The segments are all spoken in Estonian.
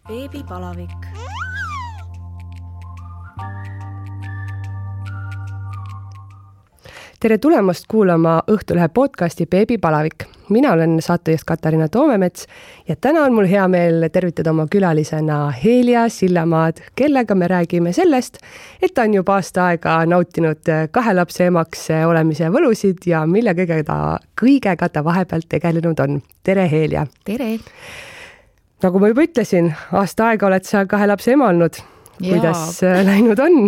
Beebipalavik. Tere tulemast kuulama Õhtulehe podcasti Beebipalavik. Mina olen saatejuht Katariina Toomemets ja täna on mul hea meel tervitada oma külalisena Heelia Sillamaad, kellega me räägime sellest, et ta on juba aasta aega nautinud 2 lapse emaks olemise võlusid ja mille kõigega ta vahepeal tegelenud on. Tere, Heelia! Tere! Nagu ma juba ütlesin, aasta aega oled sa 2 lapse ema olnud. Kuidas läinud on?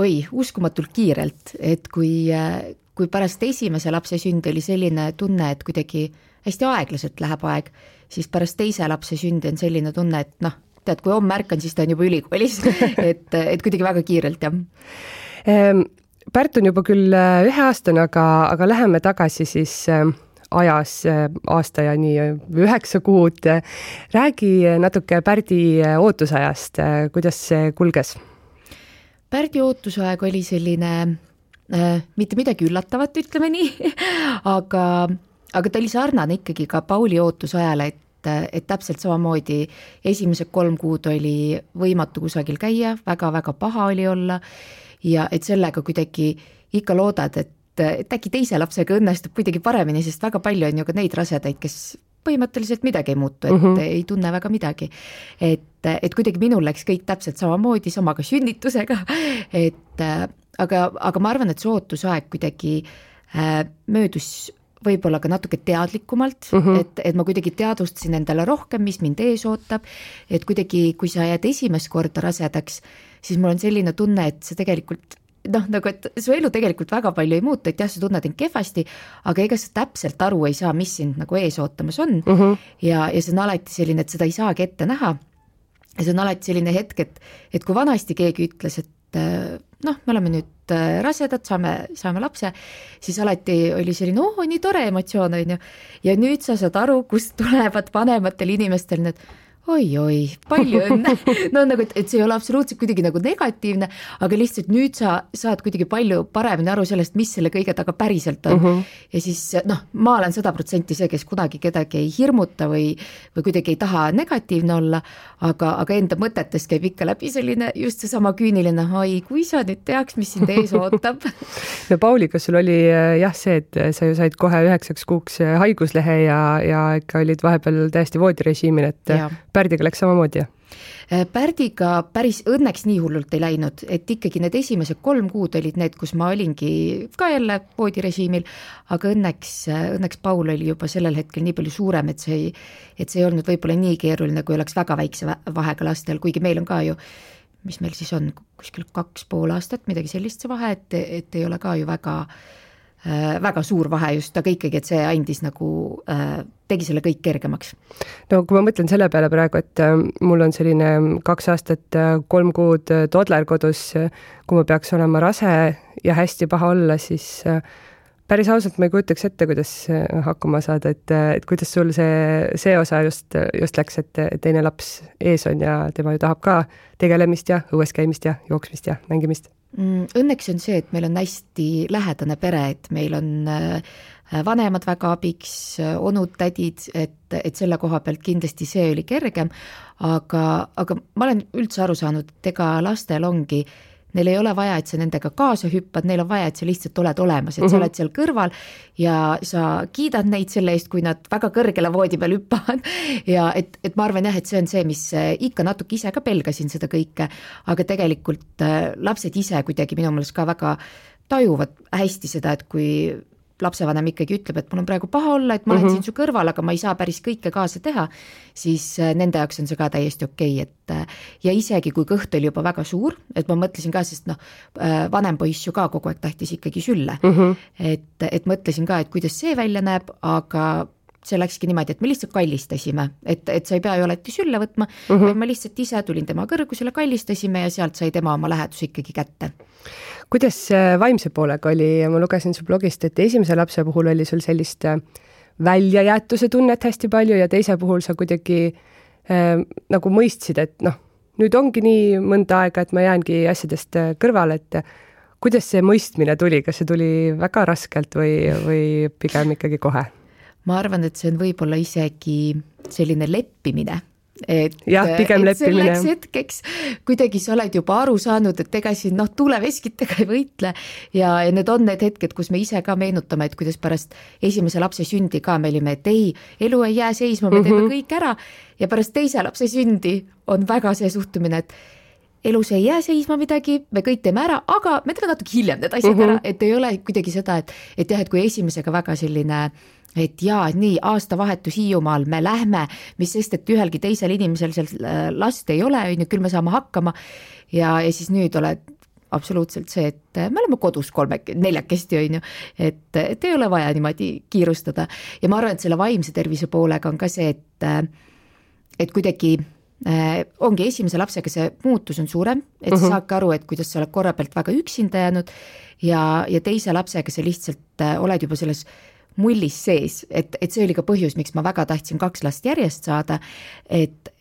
Oi, uskumatult kiirelt, et kui pärast esimese lapse sündi oli selline tunne, et kuidagi hästi aeglaselt läheb aeg, siis pärast teise lapse sündi on selline tunne, et tead, kui homme märkan, siis ta on juba ülikoolis, et kuidagi väga kiirelt, jah. Pärt on juba küll 1-aastane, aga läheme tagasi siis ajas aasta ja nii 9 kuud. Räägi natuke Pärdi ootusajast, kuidas see kulges? Pärdi ootusaeg oli selline mitte midagi üllatavat, ütleme nii, aga ta oli sarnane ikkagi ka Pauli ootusajale, et täpselt samamoodi esimesed 3 kuud oli võimatu kusagil käia, väga-väga paha oli olla ja et sellega kuidagi ikka loodad, et äkki teise lapsega õnnestub kuidagi paremini, sest väga palju on ju ka neid rasedaid, kes põhimõtteliselt midagi ei muutu, et ei tunne väga midagi. Et kuidagi minul läks kõik täpselt samamoodi, sama ka sünnitusega, aga ma arvan, et see ootusaeg kuidagi möödus võib-olla ka natuke teadlikumalt, et ma kuidagi teadvustasin endale rohkem, mis mind ees ootab, et kuidagi, kui sa jääd esimest korda rasedaks, siis mul on selline tunne, et see tegelikult nagu et su elu tegelikult väga palju ei muutu, et jah, sa tunned end kehvasti, aga ega sa täpselt aru ei saa, mis sind nagu ees ootamas on ja see on alati selline, et seda ei saagi ette näha ja see on alati selline hetk, et kui vanasti keegi ütles, et me oleme nüüd rasedad, saame lapse, siis alati oli selline, nii tore emotsioon on ju ja nüüd sa saad aru, kust tulevad vanematel inimestel need oi, palju õnne. Nagu, et see ei ole absoluutselt kuidagi nagu negatiivne, aga lihtsalt nüüd sa saad kuidagi palju paremini aru sellest, mis selle kõige taga päriselt on. Ja siis, ma olen 100% see, kes kunagi kedagi ei hirmuta või kuidagi ei taha negatiivne olla, aga enda mõtetes käib ikka läbi selline just see sama küüniline, kui sa nüüd teaks, mis sind ees ootab. No Pauliga sul oli jah see, et sa ju said kohe 9 kuuks haiguslehe ja ikka olid vahepeal täiesti voodirežiimil, et ja. Pärdiga läks samamoodi, jah? Pärdiga päris õnneks nii hullult ei läinud, et ikkagi need esimesed 3 kuud olid need, kus ma olingi ka jälle voodirežiimil, aga õnneks Paul oli juba sellel hetkel nii palju suurem, et see ei olnud võib-olla nii keeruline, kui oleks väga väikse vahega lastel, kuigi meil on ka ju, mis meil siis on, kuskil 2,5 aastat, midagi sellist see vahe, et ei ole ka ju väga suur vahe just, aga ikkagi, et see andis nagu, tegi selle kõik kergemaks. No kui ma mõtlen selle peale praegu, et mul on selline 2 aastat, 3 kuud toddler kodus, kui ma peaks olema rase ja hästi paha olla, siis päris ausalt ma ei kujutaks ette, kuidas hakkama saada, et kuidas sul see osa just läks, et teine laps ees on ja tema ju tahab ka tegelemist ja õues käimist ja jooksmist ja mängimist. Õnneks on see, et meil on hästi lähedane pere, et meil on vanemad väga abiks, onud, tädid, et selle koha pealt kindlasti see oli kergem, aga ma olen üldse aru saanud, et ega lastel ongi, neil ei ole vaja, et sa nendega kaasa hüppad, neil on vaja, et sa lihtsalt oled olemas, et sa oled seal kõrval ja sa kiidad neid selle eest, kui nad väga kõrgele voodi peal hüppavad ja et ma arvan jah, et see on see, mis ikka natuke ise ka pelgasin seda kõike, aga tegelikult lapsed ise kuidagi minu meelest ka väga tajuvad hästi seda, et kui lapsevanem ikkagi ütleb, et mul on praegu paha olla, et ma olen siin su kõrval, aga ma ei saa päris kõike kaasa teha, siis nende jaoks on see ka täiesti okei, et ja isegi kui kõht oli juba väga suur, et ma mõtlesin ka, sest vanem poiss ju ka kogu aeg tahtis ikkagi sülle, et mõtlesin ka, et kuidas see välja näeb, aga see läkski niimoodi, et me lihtsalt kallistasime, et sa ei pea ju alati sülle võtma, vaid ma lihtsalt ise tulin tema kõrgusele, kallistasime ja sealt sai tema oma lähedus ikkagi kätte. Kuidas vaimse poolega oli? Ma lugesin su blogist, et esimese lapse puhul oli sul sellist väljajäetuse tunnet hästi palju ja teise puhul sa kuidagi nagu mõistsid, et nüüd ongi nii mõnda aega, et ma jäängi asjadest kõrvale, et kuidas see mõistmine tuli? Kas see tuli väga raskelt või pigem ikkagi kohe? Ma arvan, et see on võib-olla isegi selline leppimine, pigem leppimine. Selleks hetkeks kuidagi sa oled juba aru saanud, et ega siin tuleveskitega ei võitle ja need on need hetked, kus me ise ka meenutame, et kuidas pärast esimese lapse sündi ka me olime, et ei, elu ei jää seisma, me teeme kõik ära ja pärast teise lapse sündi on väga see suhtumine, et elus ei jää seisma midagi, me kõik teeme ära, aga me teeme natuke hiljem need asjad ära, et ei ole kuidagi seda, et jah, et kui esimesega väga selline, et jaa, nii aastavahetus Hiiumaal, me lähme, mis sest, et ühelgi teisel inimesel seal last ei ole, küll me saame hakkama ja siis nüüd oled absoluutselt see, et me oleme kodus neljakesti, et ei ole vaja niimoodi kiirustada ja ma arvan, et selle vaimse tervise poolega on ka see, et kuidagi ongi esimese lapsega see muutus on suurem, et sa saadki aru, et kuidas sa oled korra pealt väga üksinda jäänud ja teise lapsega sa lihtsalt oled juba selles mullis sees, et see oli ka põhjus, miks ma väga tahtsin 2 last järjest saada, et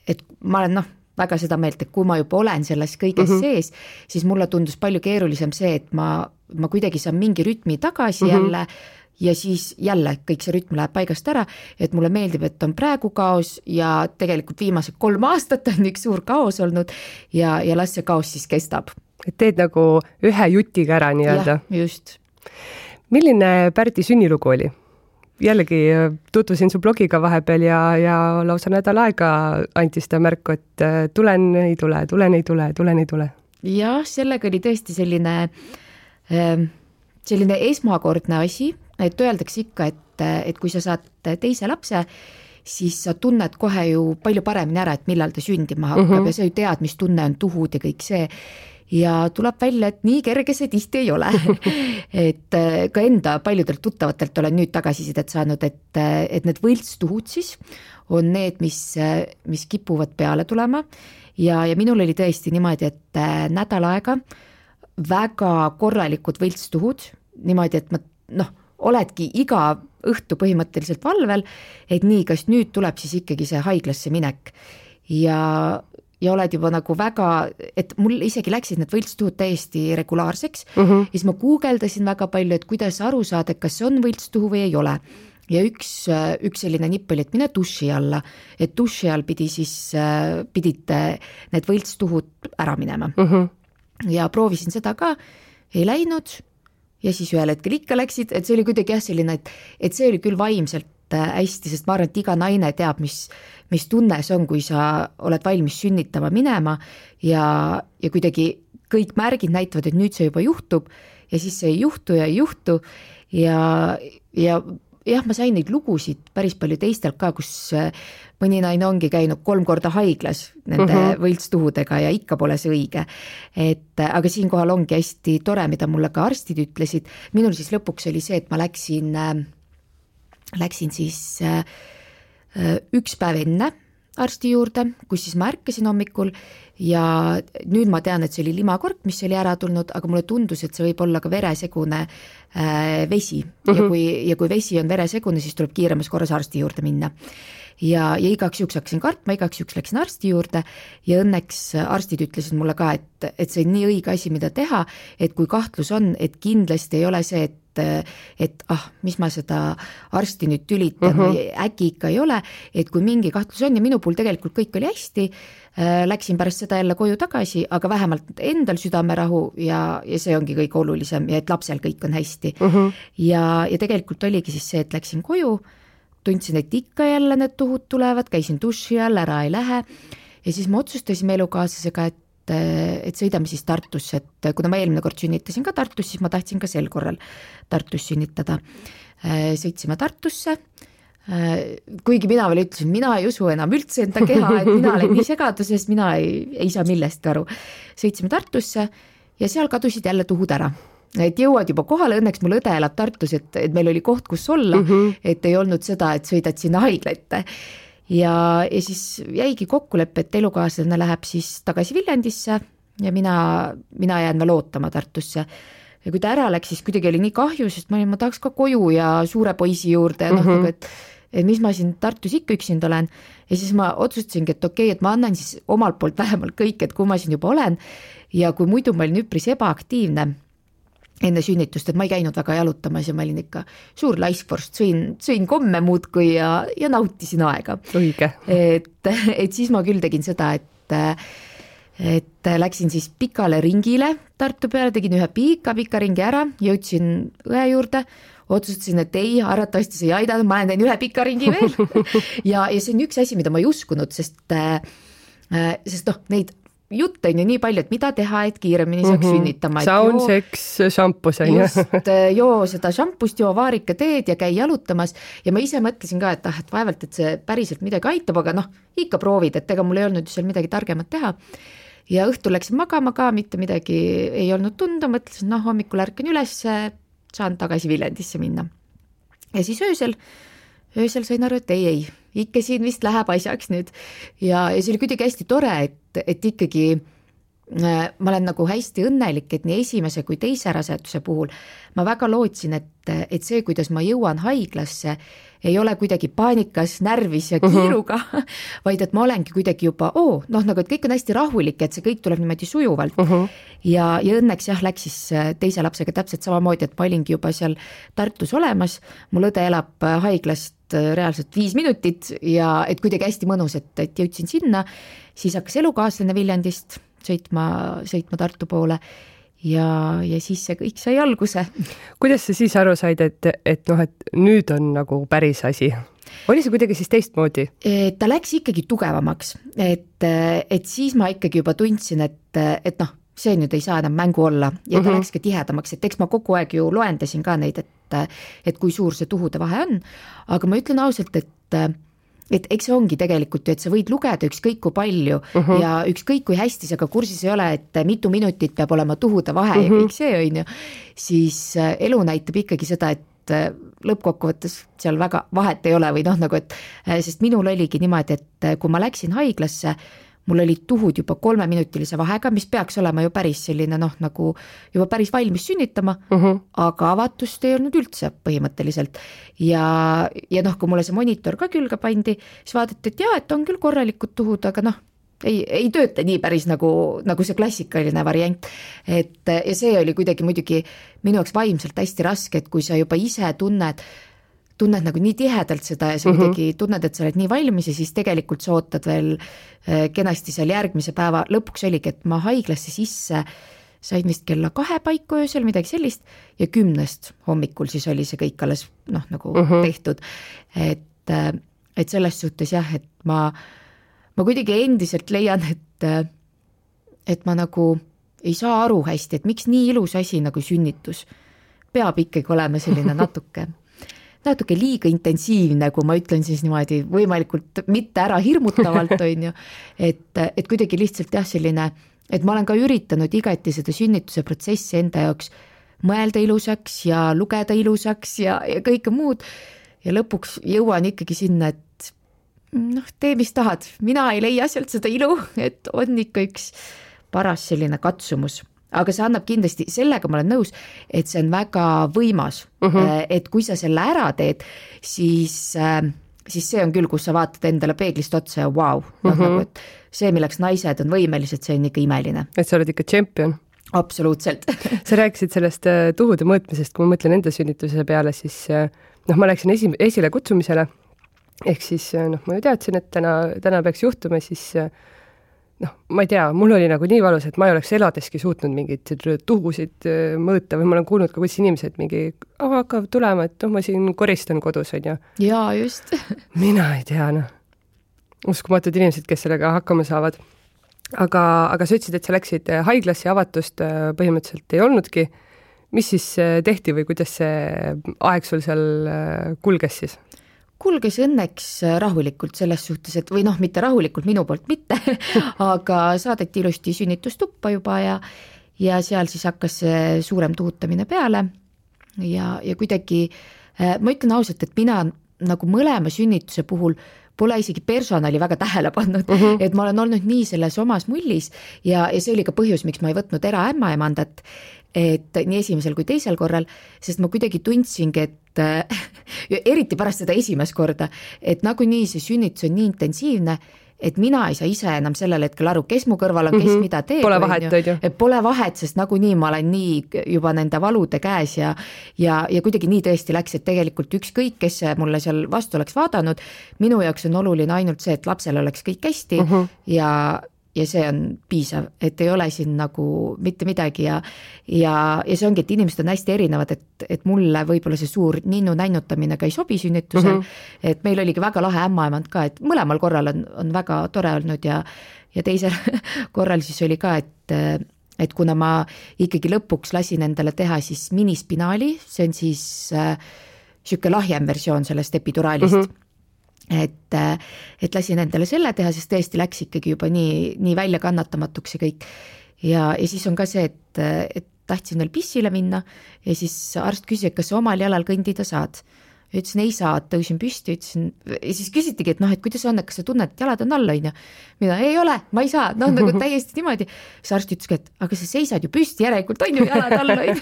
ma olen väga seda meelt, et kui ma juba olen selles kõiges sees, siis mulle tundus palju keerulisem see, et ma kuidagi saan mingi rütmi tagasi jälle ja siis jälle kõik see rütm läheb paigast ära, et mulle meeldib, et on praegu kaos ja tegelikult viimased 3 aastat on üks suur kaos olnud ja las see kaos siis kestab. Et teed nagu ühe jutiga ära nii-öelda. Jah, just. Milline Pärdi sünnilugu oli? Jällegi tutvusin su blogiga vahepeal ja lausa nädal aega antis ta märku, et tulen ei tule. Jah, sellega oli tõesti selline esmakordne asi, et öeldakse ikka, et kui sa saad teise lapse, siis sa tunned kohe ju palju paremini ära, et millal ta sündima hakkab ja sa ju tead, mis tunne on tuhud ja kõik see. Ja tuleb välja, et nii kerge see tihti ei ole. Et ka enda paljudelt tuttavatelt olen nüüd tagasisidet saanud, et need võltstuhud siis on need, mis kipuvad peale tulema ja minul oli tõesti niimoodi, et nädal aega väga korralikud võltstuhud, niimoodi, et ma oledki iga õhtu põhimõtteliselt valvel, et nii, kas nüüd tuleb siis ikkagi see haiglasse minek ja oled juba nagu väga, et mul isegi läksid need võltstuhud täiesti regulaarseks ja siis ma guugeldasin väga palju, et kuidas aru saada, kas see on võltstuhu või ei ole. Ja üks selline nipp oli, et mine duši alla, et duši all pidid need võltstuhud ära minema. Ja proovisin seda ka, ei läinud ja siis ühel hetkel ikka läksid, et see oli kuidagi selline, et see oli küll vaimselt hästi, sest ma arvan, et iga naine teab, mis tunne see on, kui sa oled valmis sünnitama minema ja kuidagi kõik märgid näitavad, et nüüd see juba juhtub ja siis see ei juhtu ja ma sain neid lugusid päris palju teistelt ka, kus mõni naine ongi käinud 3 korda haiglas nende võltstuhudega ja ikka pole see õige. Aga siinkohal ongi hästi tore, mida mulle ka arstid ütlesid. Minul siis lõpuks oli see, et ma läksin siis 1 päev enne arsti juurde, kus siis ma ärkasin hommikul ja nüüd ma tean, et see oli limakork, mis oli ära tulnud, aga mulle tundus, et see võib olla ka veresegune vesi ja kui vesi on veresegune, siis tuleb kiiremas korras arsti juurde minna. Ja igaks juhuks hakkasin kartma, igaks juhuks läksin arsti juurde ja õnneks arstid ütlesid mulle ka, et see on nii õige asi, mida teha, et kui kahtlus on, et kindlasti ei ole see, et mis ma seda arsti nüüd tülitan või äkki ikka ei ole, et kui mingi kahtlus on ja minu puhul tegelikult kõik oli hästi, läksin pärast seda jälle koju tagasi, aga vähemalt endal südamerahu ja see ongi kõige olulisem ja et lapsel kõik on hästi. Ja tegelikult oligi siis see, et läksin koju, tundsin, et ikka jälle need tuhud tulevad, käisin duši all, ära ei lähe ja siis me otsustasime elukaaslasega, et sõidame siis Tartusse, et kuna ma eelmine kord sünnitasin ka Tartus, siis ma tahtsin ka sel korral Tartus sünnitada. Sõitsime Tartusse, kuigi mina veel ütlesin, mina ei usu enam üldse enda keha, et mina olen nii segaduses, mina ei saa millestki aru. Sõitsime Tartusse ja seal kadusid jälle tuhud ära. Et jõuad juba kohale, õnneks mul õde elab Tartus, et meil oli koht, kus olla, et ei olnud seda, et sõidad sinna haiglatte. Ja siis jäigi kokkulepe, et elukaaslane läheb siis tagasi Viljandisse ja mina jään veel ootama Tartusse. Ja kui ta ära läks, siis kuidagi oli nii kahju, sest ma tahaks ka koju ja suure poisi juurde ja et mis ma siin Tartus ikka üksinda olen. Ja siis ma otsustasingi, et okei, et ma annan siis omalt poolt vähemalt kõik, et kui ma siin juba olen ja kui muidu ma olin üpris ebaaktiivne, enne sünnitust, et ma ei käinud väga jalutamas ja ma olin ikka suur laiskvorst, sõin komme muudkui ja nautisin aega. Õige. Et siis ma küll tegin seda, et läksin siis pikale ringile Tartu peale, tegin ühe pika ringi ära, jõudsin õe juurde, otsustasin, et ei, arvatavasti see ei aidanud, ma teen ühe pika ringi veel ja see on üks asi, mida ma ei uskunud, sest neid jutt on ju nii palju, et mida teha, et kiiremini saaks sünnitama. Saun, seks, šampus on ju. Just, joo seda šampust, joo vaarika teed ja käi jalutamas ja ma ise mõtlesin ka, et vaevalt, et see päriselt midagi aitab, aga ikka proovid, et ega mul ei olnud seal midagi targemat teha. Ja õhtul läksin magama ka, mitte midagi ei olnud tunda, mõtlesin, hommikul ärkan üles, saan tagasi Viljandisse minna. Ja siis öösel sain aru, et ei, ikka siin vist läheb asjaks nüüd ja see oli kuidagi hästi tore, et ikkagi ma olen nagu hästi õnnelik, et nii esimese kui teise raseduse puhul ma väga lootsin, et see, kuidas ma jõuan haiglasse, ei ole kuidagi paanikas, närvis ja kiiruga, vaid et ma olengi kuidagi juba, nagu et kõik on hästi rahulik, et see kõik tuleb niimoodi sujuvalt. Ja õnneks läks siis teise lapsega täpselt samamoodi, et ma olingi juba seal Tartus olemas, mul õde elab haiglast reaalselt 5 minutit ja et kuidagi hästi mõnus, et jõudsin sinna, siis hakkas elukaaslane Viljandist sõitma Tartu poole ja siis see kõik sai alguse. Kuidas sa siis aru said, et nüüd on nagu päris asi? Oli see kuidagi siis teistmoodi? Ta läks ikkagi tugevamaks, et siis ma ikkagi juba tundsin, et see nüüd ei saa enam mängu olla ja ta läks ka tihedamaks, et eks ma kogu aeg ju loendasin ka neid, et kui suur see tuhude vahe on, aga ma ütlen ausalt, et eks see ongi tegelikult ju, et sa võid lugeda ükskõik kui palju ja ükskõik kui hästi sa ka kursis ei ole, et mitu minutit peab olema tuhude vahe ja kõik see on ju, siis elu näitab ikkagi seda, et lõppkokkuvõttes seal väga vahet ei ole või sest minul oligi niimoodi, et kui ma läksin haiglasse, mul oli tuhud juba 3-minutilise vahega, mis peaks olema ju päris selline nagu juba päris valmis sünnitama, aga avatust ei olnud üldse põhimõtteliselt. Ja kui mulle see monitor ka külge pandi, siis vaadati, et et on küll korralikud tuhud, aga ei tööta nii päris nagu see klassikaline variant. Ja see oli kuidagi muidugi minu jaoks vaimselt hästi raske, et kui sa juba ise tunned nagu nii tihedalt seda ja sa kuidagi tunned, et sa oled nii valmis ja siis tegelikult sa ootad veel kenasti seal järgmise päeva. Lõpuks oligi, et ma haiglasse sisse sain vist kella 2 paiku öösel, midagi sellist ja 10 hommikul siis oli see kõik alles nagu tehtud. Et selles suhtes et ma kuidagi endiselt leian, et ma nagu ei saa aru hästi, et miks nii ilus asi nagu sünnitus peab ikkagi olema selline natuke liiga intensiivne, kui ma ütlen siis niimoodi võimalikult mitte ära hirmutavalt, on ju, et kuidagi lihtsalt selline, et ma olen ka üritanud igati seda sünnituse protsessi enda jaoks mõelda ilusaks ja lugeda ilusaks ja kõike muud ja lõpuks jõuan ikkagi sinna, et tee mis tahad, mina ei leia sealt seda ilu, et on ikka üks paras selline katsumus. Aga see annab kindlasti, sellega ma olen nõus, et see on väga võimas, et kui sa selle ära teed, siis see on küll, kus sa vaatad endale peeglist otsa ja wow, nagu, et see, milleks naised on võimelised, see on ikka imeline. Et sa oled ikka tšempion. Absoluutselt. Sa rääkisid sellest tuhude mõõtmisest, kui ma mõtlen enda sünnituse peale, siis ma läksin esile kutsumisele, ehk siis ma ju teadsin, et täna peaks juhtuma, siis ma ei tea, mul oli nagu nii valus, et ma ei oleks eladeski suutnud mingid tuhusid mõõta või ma olen kuulnud ka, kuidas inimesed mingi hakkavad tulema, et ma siin koristan kodus, on ju. Jaa, just. Mina ei tea, uskumatud inimesed, kes sellega hakkama saavad. Aga sa ütlesid, et sa läksid haiglasse ja avatust põhimõtteliselt ei olnudki. Mis siis tehti või kuidas see aeg sul seal kulges siis? Kulges õnneks rahulikult selles suhtes, et või mitte rahulikult, minu poolt mitte, aga saadeti ilusti sünnitustuppa juba ja seal siis hakkas suurem tuhutamine peale ja kuidagi, ma ütlen ausalt, et mina nagu mõlema sünnituse puhul pole isegi personali väga tähele pannud, et ma olen olnud nii selles omas mullis ja see oli ka põhjus, miks ma ei võtnud ämmaemandat, et nii esimesel kui teisel korral, sest ma kuidagi tundsingi, et eriti pärast seda esimest korda, et nagunii see sünnitus on nii intensiivne, et mina ei saa ise enam sellel hetkel aru, kes mu kõrval on, kes mida teeb. Pole vahet, on ju. Pole vahet, sest nagunii ma olen nii juba nende valude käes ja kuidagi nii tõesti läks, et tegelikult ükskõik, kes mulle seal vastu oleks vaadanud, minu jaoks on oluline ainult see, et lapsel oleks kõik hästi ja see on piisav, et ei ole siin nagu mitte midagi ja see ongi, et inimesed on hästi erinevad, et mulle võib-olla see suur ninnu nännutamine ka ei sobi sünnitusel, et meil oligi väga lahe ämmaemand ka, et mõlemal korral on väga tore olnud ja teisel korral siis oli ka, et kuna ma ikkagi lõpuks lasin endale teha siis minispinaali, see on siis siuke lahjem versioon sellest epiduraalist, et lasin endale selle teha, sest tõesti läks ikkagi juba nii väljakannatamatuks ja kõik. Ja siis on ka see, et tahtsin veel pissile minna ja siis arst küsis, et kas sa omal jalal kõndida saad. Ja ütlesin, ei saa, tõusin püsti, ütlesin, ja siis küsitigi, et et kuidas on, et kas sa tunned, et jalad on all, on ju? Mina, ei ole, ma ei saa, nagu täiesti niimoodi. Siis arst ütleski, et aga sa seisad ju püsti, järelikult on ju jalad all, on ju.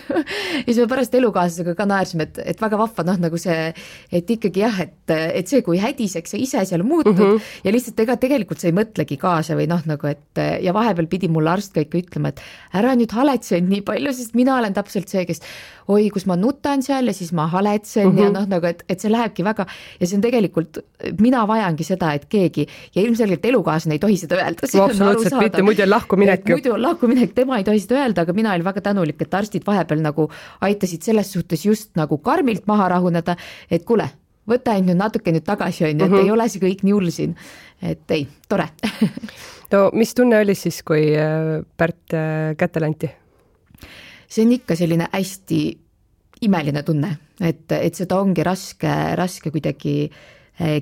Ja siis me pärast elukaaslasega ka naersime, et väga vahva, nagu see, et ikkagi jah, et see, kui hädiseks sa ise seal muutud ja lihtsalt tegelikult sa ei mõtlegi kaasa või nagu, et ja vahepeal pidi mulle arst ka ikka ütlema, et ära nüüd haletsen nii palju, sest mina olen täpselt see, kes oi, kus ma nutan seal ja siis ma haletsen ja nagu, et see lähebki väga ja see on tegelikult, mina vajangi seda, et keegi ja ilmselgelt elukaaslane ei tohi seda öelda. Absoluutselt mitte, muidu on lahkuminek. Muidu on lahkuminek, tema ei tohi seda öelda, aga mina olin väga tänulik, et arstid vahepeal nagu aitasid selles suhtes just nagu karmilt maha rahuneda, et kuule, võta nüüd natuke nüüd tagasi, on ju, et ei ole see kõik nii hull siin, et ei, tore. No mis tunne oli siis, kui Pärt kätte lanti? See on ikka selline hästi imeline tunne, et seda ongi raske kuidagi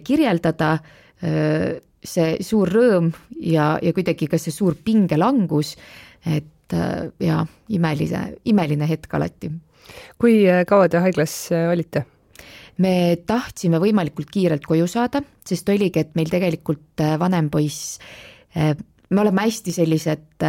kirjeldada, see suur rõõm ja kuidagi ka see suur pingelangus, et ja imeline hetk alati. Kui kaua te haiglas olite? Me tahtsime võimalikult kiirelt koju saada, sest oligi, et meil tegelikult vanem poiss, me oleme hästi sellised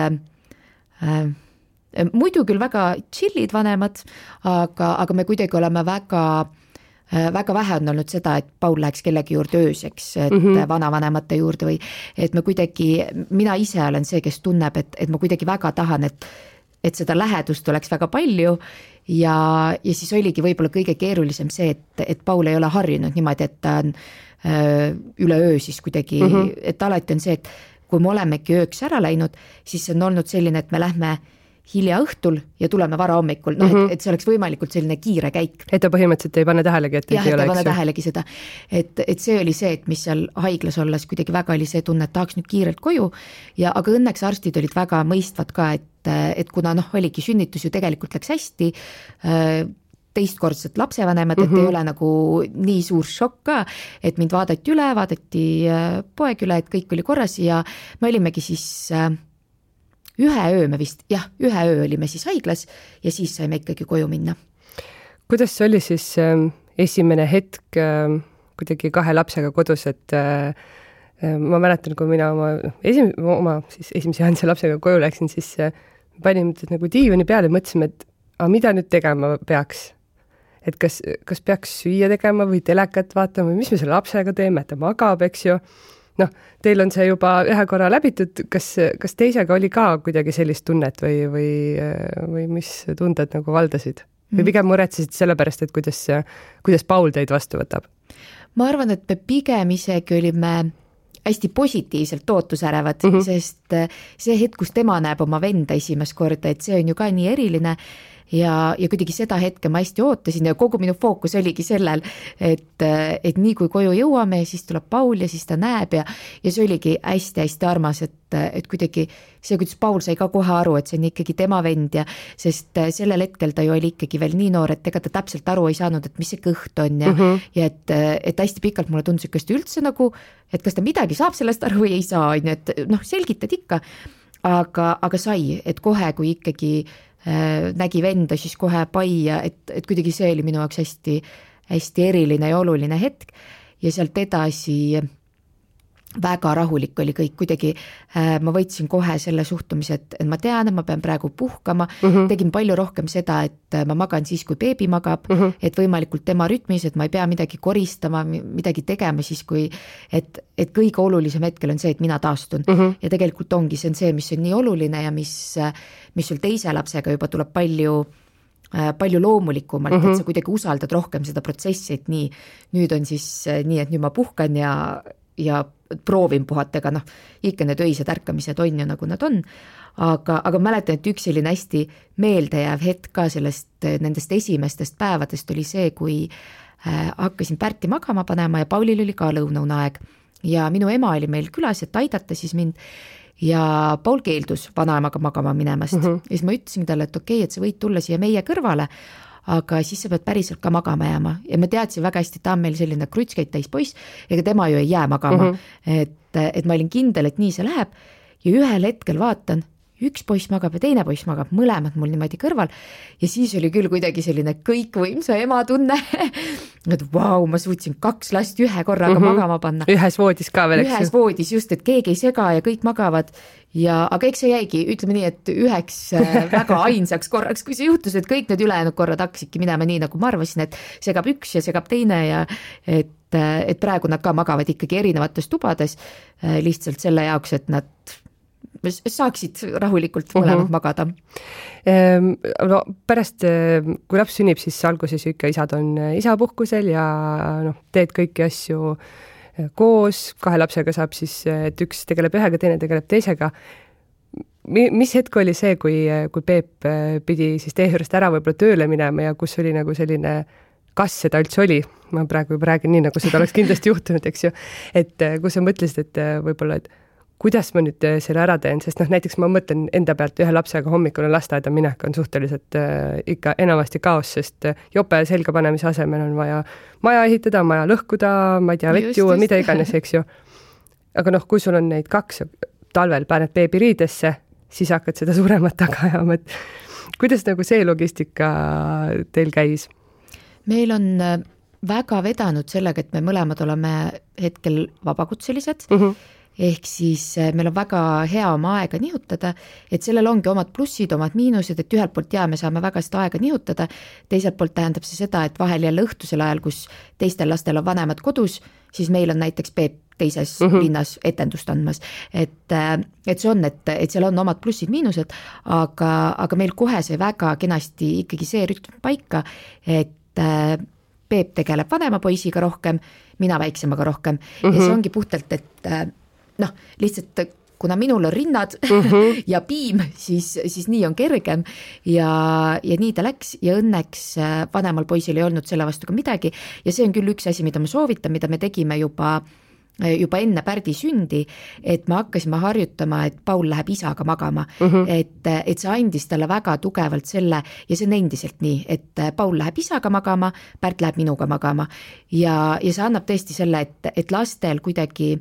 muidu küll väga chillid vanemad, aga me kuidagi oleme väga vähe on olnud seda, et Paul läheks kellegi juurde ööseks, et vanavanemate juurde või et me kuidagi, mina ise olen see, kes tunneb, et ma kuidagi väga tahan, et seda lähedust oleks väga palju ja siis oligi võib-olla kõige keerulisem see, et Paul ei ole harjunud niimoodi, et ta on üle öö siis kuidagi, et alati on see, et kui me olemegi ööks ära läinud, siis on olnud selline, et me lähme hilja õhtul ja tuleme vara hommikul, et see oleks võimalikult selline kiire käik. Et ta põhimõtteliselt ei pane tähelegi, et jah, et ei pane tähelegi seda. Et see oli see, et mis seal haiglas olles kuidagi väga oli see tunne, et tahaks nüüd kiirelt koju, aga õnneks arstid olid väga mõistvad ka, et kuna oligi sünnitus ju tegelikult läks hästi, teistkordselt lapsevanemad, et ei ole nagu nii suur šokk ka, et mind vaadati üle, vaadati poeg üle, et kõik oli korras ja me olimegi siis ühe öö olime siis haiglas ja siis saime ikkagi koju minna. Kuidas see oli siis esimene hetk kuidagi 2 lapsega kodus, et ma mäletan, kui mina oma esimese Hanse lapsega koju läksin, siis panime nagu diivani peale ja mõtlesime, et mida nüüd tegema peaks? Et kas peaks süüa tegema või telekat vaatama või mis me selle lapsega teeme, et ta magab, eks ju? Teil on see juba ühe korra läbitud, kas teisega oli ka kuidagi sellist tunnet või mis tunded nagu valdasid? Või pigem muretsesid selle pärast, et kuidas Paul teid vastu võtab? Ma arvan, et me pigem isegi olime hästi positiivselt ootusärevad, sest see hetk, kus tema näeb oma venda esimest korda, et see on ju ka nii eriline ja kuidagi seda hetke ma hästi ootasin ja kogu minu fookus oligi sellel, et nii kui koju jõuame ja siis tuleb Paul ja siis ta näeb ja see oligi hästi-hästi armas, et kuidagi see, kuidas Paul sai ka kohe aru, et see on ikkagi tema vend ja sest sellel hetkel ta ju oli ikkagi veel nii noor, et ega ta täpselt aru ei saanud, et mis see kõht on ja et hästi pikalt mulle tundus, et kas ta üldse nagu, et kas ta midagi saab sellest aru või ei saa, et selgitad ikka, aga sai, et kohe, kui ikkagi nägi venda, siis kohe pai ja et kuidagi see oli minu jaoks hästi, hästi eriline ja oluline hetk ja sealt edasi väga rahulik oli kõik, kuidagi ma võtsin kohe selle suhtumise, et ma tean, et ma pean praegu puhkama, tegin palju rohkem seda, et ma magan siis, kui beebi magab, et võimalikult tema rütmis, et ma ei pea midagi koristama, midagi tegema siis, kui, et kõige olulisem hetkel on see, et mina taastun ja tegelikult ongi see on see, mis on nii oluline ja mis sul teise lapsega juba tuleb palju loomulikumalt, et sa kuidagi usaldad rohkem seda protsessi, et nüüd on siis nii, et nüüd ma puhkan ja proovin puhata, ega ikka need öised ärkamised on ju nagu nad on, aga mäletan, et üks selline hästi meeldejääv hetk ka nendest esimestest päevadest oli see, kui hakkasin Pärti magama panema ja Paulil oli ka lõunaaeg ja minu ema oli meil külas, et aidata siis mind ja Paul keeldus vanaemaga magama minemast ja siis ma ütlesin talle, et okei, et sa võid tulla siia meie kõrvale, aga siis sa pead päriselt ka magama jääma ja ma teadsin väga hästi, et ta on meil selline krutskeid täis poiss, ega tema ju ei jää magama, et ma olin kindel, et nii see läheb ja ühel hetkel vaatan, üks poiss magab ja teine poiss magab, mõlemad mul niimoodi kõrval ja siis oli küll kuidagi selline kõikvõimsa ema tunne, et vau, ma suutsin 2 last ühe korraga magama panna. Ühes voodis ka veel, eks ju? Ühes voodis just, et keegi ei sega ja kõik magavad ja aga eks see jäigi, ütleme nii, et üheks väga ainsaks korraks, kui see juhtus, et kõik need ülejäänud korrad hakkasidki minema nii, nagu ma arvasin, et segab üks ja segab teine ja et praegu nad ka magavad ikkagi erinevates tubades lihtsalt selle jaoks, et nad saaksid rahulikult mõlemad magada. No, pärast, kui laps sünnib, siis alguses ikka isad on isapuhkusel ja teed kõiki asju koos, 2 lapsega saab siis, et üks tegeleb ühega, teine tegeleb teisega. Mis hetk oli see, kui Peep pidi siis teie juurest ära võib-olla tööle minema ja kus oli nagu selline, kas seda üldse oli? Ma praegu juba räägin nii, nagu seda oleks kindlasti juhtunud, eks ju. Et kus sa mõtlesid, et võib-olla, et kuidas ma nüüd selle ära teen, sest näiteks ma mõtlen enda pealt ühe lapsega hommikul lasteaeda minek on suhteliselt ikka enamasti kaos, sest jope selga panemise asemel on vaja maja ehitada, maja lõhkuda, ma ei tea, vett juua, mida iganes, eks ju. Aga kui sul on neid 2 talvel paned beebi riidesse, siis hakkad seda suuremat taga ajama, et kuidas nagu see logistika teil käis? Meil on väga vedanud sellega, et me mõlemad oleme hetkel vabakutselised, ehk siis meil on väga hea oma aega nihutada, et sellel ongi omad plussid, omad miinused, et ühelt poolt me saame väga seda aega nihutada, teiselt poolt tähendab see seda, et vahel jälle õhtusel ajal, kus teistel lastel on vanemad kodus, siis meil on näiteks Peep teises linnas etendust andmas, et see on, et seal on omad plussid-miinused, aga meil kohe sai väga kenasti ikkagi see rütm paika, et Peep tegeleb vanema poisiga rohkem, mina väiksemaga rohkem ja see ongi puhtalt, et lihtsalt kuna minul on rinnad ja piim, siis nii on kergem ja nii ta läks ja õnneks vanemal poisil ei olnud selle vastu ka midagi ja see on küll üks asi, mida ma soovitan, mida me tegime juba enne Pärdi sündi, et me hakkasime harjutama, et Paul läheb isaga magama, et see andis talle väga tugevalt selle ja see on endiselt nii, et Paul läheb isaga magama, Pärt läheb minuga magama ja see annab tõesti selle, et lastel kuidagi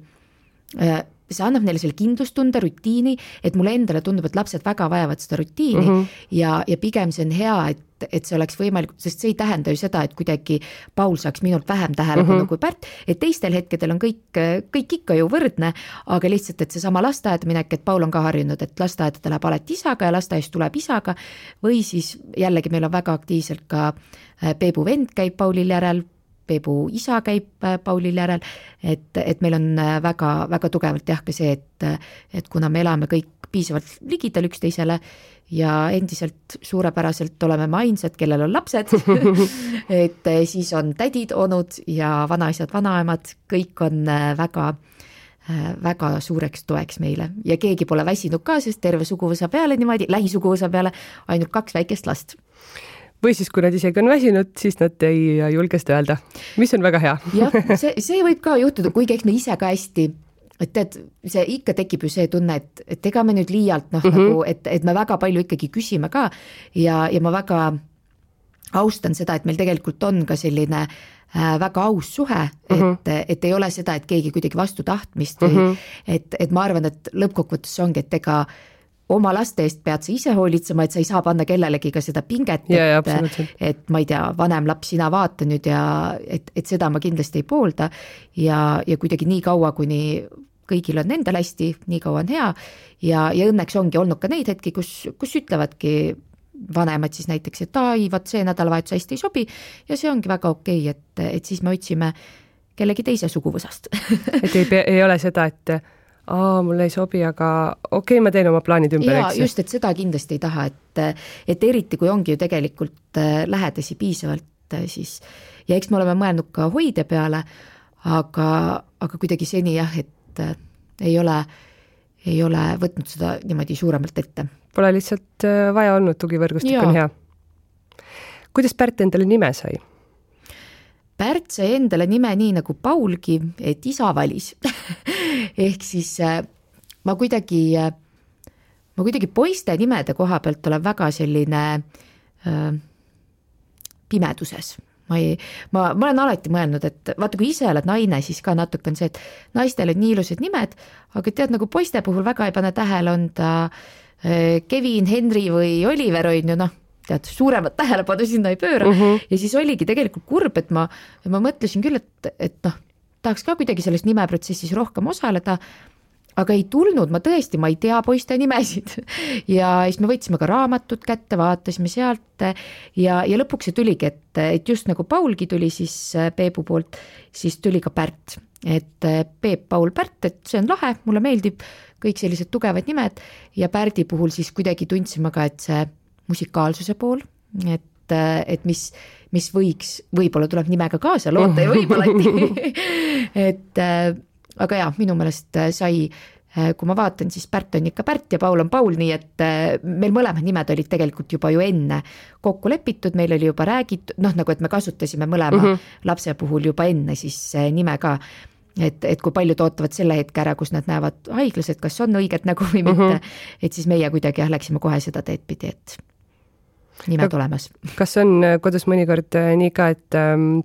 see annab neile selle kindlustunde, rutiini, et mulle endale tundub, et lapsed väga vajavad seda rutiini ja pigem see on hea, et see oleks võimalik, sest see ei tähenda ju seda, et kuidagi Paul saaks minult vähem tähelepanu kui Pärt, et teistel hetkedel on kõik ikka ju võrdne, aga lihtsalt, et see sama lasteaeda minek, et Paul on ka harjunud, et lasteaeda ta läheb alati isaga ja lasteaist tuleb isaga või siis jällegi meil on väga aktiivselt ka Peebu vend käib Paulil järel, Peebu isa käib Paulil järel, et meil on väga, väga tugevalt jah ka see, et kuna me elame kõik piisavalt ligidal üksteisele ja endiselt suurepäraselt oleme me ainsad, kellel on lapsed, et siis on tädid, onud ja vanaisad, vanaemad, kõik on väga suureks toeks meile ja keegi pole väsinud ka, sest terve suguvõsa peale niimoodi, lähisuguvõsa peale ainult 2 väikest last. Või siis, kui nad isegi on väsinud, siis nad ei julge seda öelda, mis on väga hea. Jah, see võib ka juhtuda, kuigi eks me ise ka hästi, et tead, see ikka tekib ju see tunne, et ega me nüüd liialt, nagu, et me väga palju ikkagi küsime ka ja ma väga austan seda, et meil tegelikult on ka selline väga aus suhe, et ei ole seda, et keegi kuidagi vastu tahtmist või et ma arvan, et lõppkokkuvõttes ongi, et ega oma laste eest pead sa ise hoolitsema, et sa ei saa panna kellelegi ka seda pinget, et ma ei tea, vanem laps, sina vaata nüüd ja et seda ma kindlasti ei poolda ja kuidagi nii kaua, kuni kõigil on endal hästi, nii kaua on hea ja õnneks ongi olnud ka neid hetki, kus ütlevadki vanemad siis näiteks, et vaat see nädalavahetus hästi ei sobi ja see ongi väga okei, et siis me otsime kellegi teise suguvõsast et ei ole seda, et mulle ei sobi, aga okei, ma teen oma plaanid ümber, eks? Just, et seda kindlasti ei taha, et eriti kui ongi ju tegelikult lähedasi piisavalt, siis ja eks me oleme mõelnud ka hoide peale, aga kuidagi seni jah, et ei ole võtnud seda niimoodi suuremalt ette. Pole lihtsalt vaja olnud, tugivõrgustik on hea. Kuidas Pärt endale nime sai? Pärt sai endale nime nii nagu Paulgi, et isa valis. Ehk siis ma kuidagi poiste nimede koha pealt olen väga selline pimeduses. Ma olen alati mõelnud, et vaata, kui ise oled naine, siis ka natuke on see, et naistel on nii ilusad nimed, aga tead, nagu poiste puhul väga ei pane tähele, on ta Kevin, Henry või Oliver on ju, tead, suuremat tähelepanu sinna ei pööra ja siis oligi tegelikult kurb, et ma mõtlesin küll, et tahaks ka kuidagi selles nimeprotsessis rohkem osaleda, aga ei tulnud, ma ei tea poiste nimesid ja siis me võtsime ka raamatut kätte, vaatasime sealt ja lõpuks see tuligi, et just nagu Paulgi tuli siis Peebu poolt, siis tuli ka Pärt, et Peep, Paul, Pärt, et see on lahe, mulle meeldib kõik sellised tugevad nimed ja Pärdi puhul siis kuidagi tundsime ka, et see musikaalsuse pool, et mis võib-olla tuleb nimega kaasa loota ja võib alati aga jah, minu meelest sai, kui ma vaatan, siis Pärt on ikka Pärt ja Paul on Paul, nii et meil mõlemad nimed olid tegelikult juba ju enne kokku lepitud, meil oli juba räägitud, nagu et me kasutasime mõlema lapse puhul juba enne siis nime ka, et kui paljud ootavad selle hetke ära, kus nad näevad haiglas, et kas on õiget nägu või mitte, et siis meie kuidagi läksime kohe seda teed pidi, et nimed olemas. Kas on kodus mõnikord nii ka, et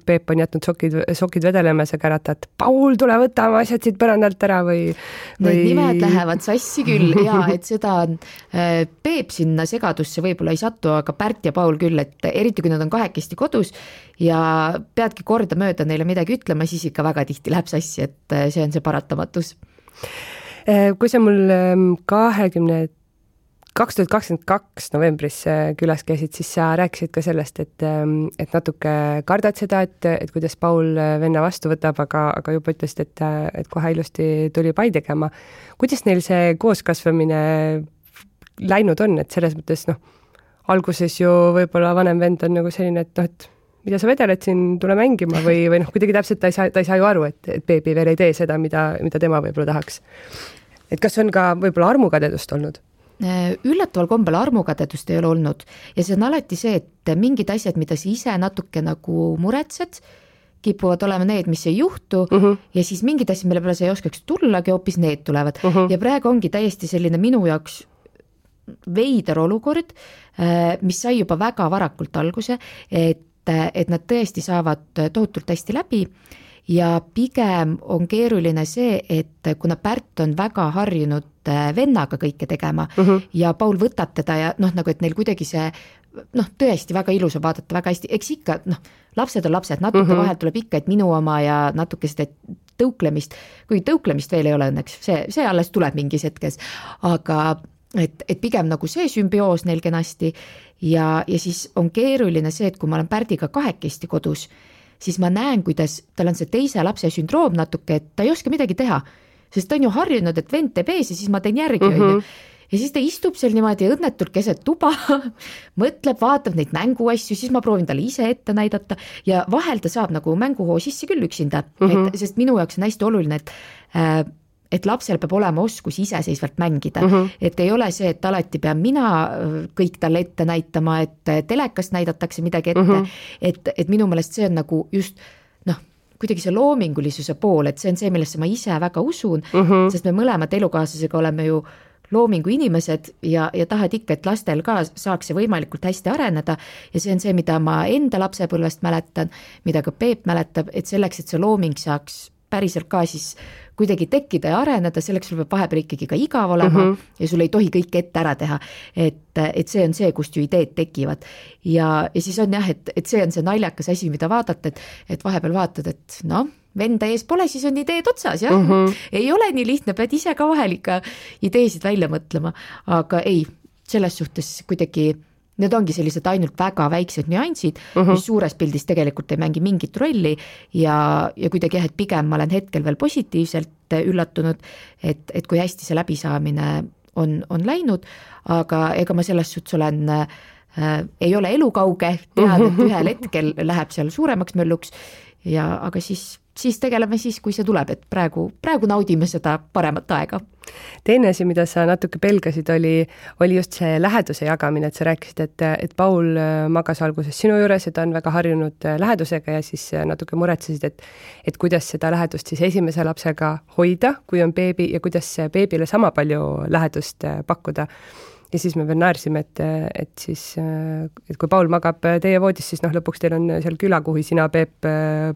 Peep on jätnud sokid vedelema ja sa käratad, Paul, tule võta oma asjad siit põrandalt ära või? Need nimed lähevad sassi küll ja et seda on Peep sinna segadusse võib-olla ei satu, aga Pärt ja Paul küll, et eriti kui nad on kahekesti kodus ja peadki kordamööda neile midagi ütlema, siis ikka väga tihti läheb sassi, et see on see paratamatus. Kui sa mul 2022 novembris külas käisid, siis sa rääkisid ka sellest, et natuke kardad seda, et kuidas Paul venna vastu võtab, aga juba ütlesid, et kohe ilusti tuli pai tegema. Kuidas neil see kooskasvamine läinud on, et selles mõttes alguses ju võib-olla vanem vend on nagu selline, et mida sa vedeled siin, tule mängima või kuidagi täpselt ta ei saa ju aru, et beebi veel ei tee seda, mida tema võib-olla tahaks. Et kas on ka võib-olla armukadedust olnud? Üllataval kombel armukadedust ei ole olnud ja see on alati see, et mingid asjad, mida sa ise natuke nagu muretsed, kipuvad olema need, mis ei juhtu ja siis mingid asjad, mille peale sa ei oskaks tullagi, hoopis need tulevad ja praegu ongi täiesti selline minu jaoks veider olukord, mis sai juba väga varakult alguse, et nad tõesti saavad tohutult hästi läbi ja pigem on keeruline see, et kuna Pärt on väga harjunud vennaga kõike tegema ja Paul võtab teda ja nagu, et neil kuidagi see tõesti väga ilus on vaadata, väga hästi, eks ikka, lapsed on lapsed, natuke vahel tuleb ikka, et minu oma ja natuke seda tõuklemist, kui tõuklemist veel ei ole õnneks, see alles tuleb mingis hetkes, aga et pigem nagu see sümbioos neil kenasti ja siis on keeruline see, et kui ma olen Pärdiga kahekesti kodus, siis ma näen, kuidas tal on see teise lapse sündroom natuke, et ta ei oska midagi teha, sest ta on ju harjunud, et vend teeb ees ja siis ma teen järgi. Ja siis ta istub seal niimoodi õnnetult keset tuba, mõtleb, vaatab neid mänguasju, siis ma proovin talle ise ette näidata ja vahel ta saab nagu mänguhoo sisse küll üksinda, sest minu jaoks on hästi oluline, et lapsel peab olema oskus iseseisvalt mängida, et ei ole see, et alati pean mina kõik talle ette näitama, et telekast näidatakse midagi ette, et minu meelest see on nagu just kuidagi see loomingulisuse pool, et see on see, millesse ma ise väga usun, sest me mõlemad elukaaslasega oleme ju loomingu inimesed ja tahad ikka, et lastel ka saaks see võimalikult hästi areneda ja see on see, mida ma enda lapsepõlvest mäletan, mida ka Peep mäletab, et selleks, et see looming saaks päriselt ka siis kuidagi tekkida ja areneda, selleks sul peab vahepeal ikkagi ka igav olema ja sul ei tohi kõike ette ära teha, et see on see, kust ju ideed tekivad ja siis on jah, et see on see naljakas asi, mida vaadata, et vahepeal vaatad, et venda ees pole, siis on ideed otsas, jah. Ei ole nii lihtne, pead ise ka vahel ikka ideesid välja mõtlema, aga ei, selles suhtes kuidagi need ongi sellised ainult väga väiksed nüansid, mis suures pildis tegelikult ei mängi mingit rolli ja kuidagi jah, et pigem ma olen hetkel veel positiivselt üllatunud, et kui hästi see läbisaamine on läinud, aga ega ma selles suhtes olen, ei ole elukauge, tean, et ühel hetkel läheb seal suuremaks mölluks aga siis tegeleme siis, kui see tuleb, et praegu naudime seda paremat aega. Teine asi, mida sa natuke pelgasid, oli just see läheduse jagamine, et sa rääkisid, et Paul magas alguses sinu juures ja ta on väga harjunud lähedusega ja siis natuke muretsesid, et kuidas seda lähedust siis esimese lapsega hoida, kui on beebi ja kuidas beebile sama palju lähedust pakkuda. Ja siis me veel naersime, et kui Paul magab teie voodis, siis lõpuks teil on seal külakuhi sina, Peep,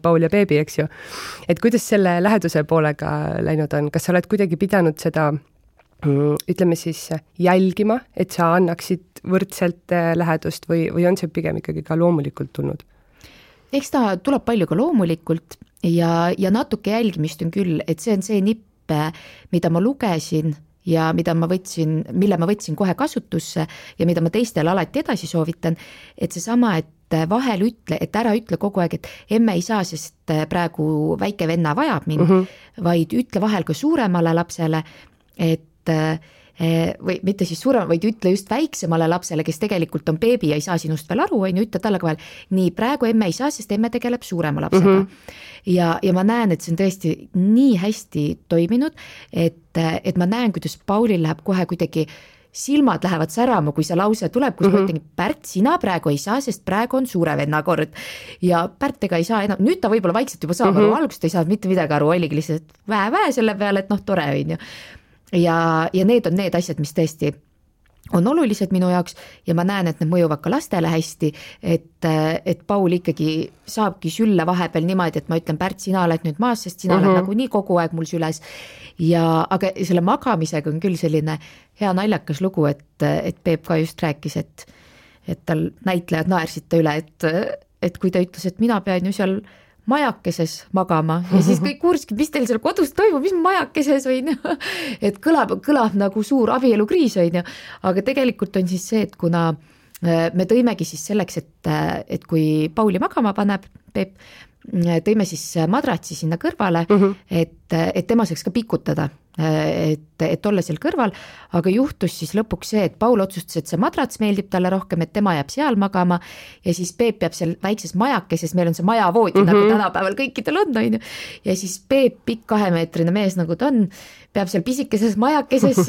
Paul ja beebi, eks ju. Et kuidas selle läheduse poolega läinud on? Kas sa oled kuidagi pidanud seda, ütleme siis, jälgima, et sa annaksid võrdselt lähedust või on see pigem ikkagi ka loomulikult tulnud? Eks ta tuleb palju ka loomulikult ja natuke jälgimist on küll, et see on see nipp, mida ma lugesin ja mille ma võtsin kohe kasutusse ja mida ma teistele alati edasi soovitan, et seesama, et vahel et ära ütle kogu aeg, et emme ei saa, sest praegu väike venna vajab mind, vaid ütle vahel ka suuremale lapsele, või mitte siis suurem, vaid ütle just väiksemale lapsele, kes tegelikult on beebi ja ei saa sinust veel aru, ütle talle ka veel, nii praegu emme ei saa, sest emme tegeleb suurema lapsega. Ja ma näen, et see on tõesti nii hästi toiminud, et ma näen, kuidas Paulil läheb kohe kuidagi, silmad lähevad särama, kui see lause tuleb, kus ma ütlen, Pärt, sina praegu ei saa, sest praegu on suure venna kord. Ja Pärt ega ei saa enam, nüüd ta võib-olla vaikselt juba saab aru, algust ei saa mitte midagi aru, oligi lihtsalt vähe selle peale, et tore on ju. Ja need on need asjad, mis tõesti on olulised minu jaoks ja ma näen, et need mõjuvad ka lastele hästi, et Paul ikkagi saabki sülle vahepeal niimoodi, et ma ütlen, Pärt, sina oled nüüd maas, sest sina oled nagu nii kogu aeg mul süles. Aga selle magamisega on küll selline hea naljakas lugu, et Peep ka just rääkis, et tal näitlejad naersid ta üle, et kui ta ütles, et mina pean ju seal majakeses magama ja siis kõik uuriski, mis teil seal kodus toimub, mis majakeses on ju, et kõlab nagu suur abielukriis on ju, aga tegelikult on siis see, et kuna me tõimegi siis selleks, et kui Pauli magama paneb Peep, tõime siis madratsi sinna kõrvale, et tema saaks ka pikutada, et olla seal kõrval, aga juhtus siis lõpuks see, et Paul otsustas, et see madrats meeldib talle rohkem, et tema jääb seal magama ja siis Peep jääb seal väikses majakeses, meil on see majavoodi nagu tänapäeval kõikidel on, ja siis Peep, pikk 2-meetrine mees nagu ta on, peab seal pisikeses majakeses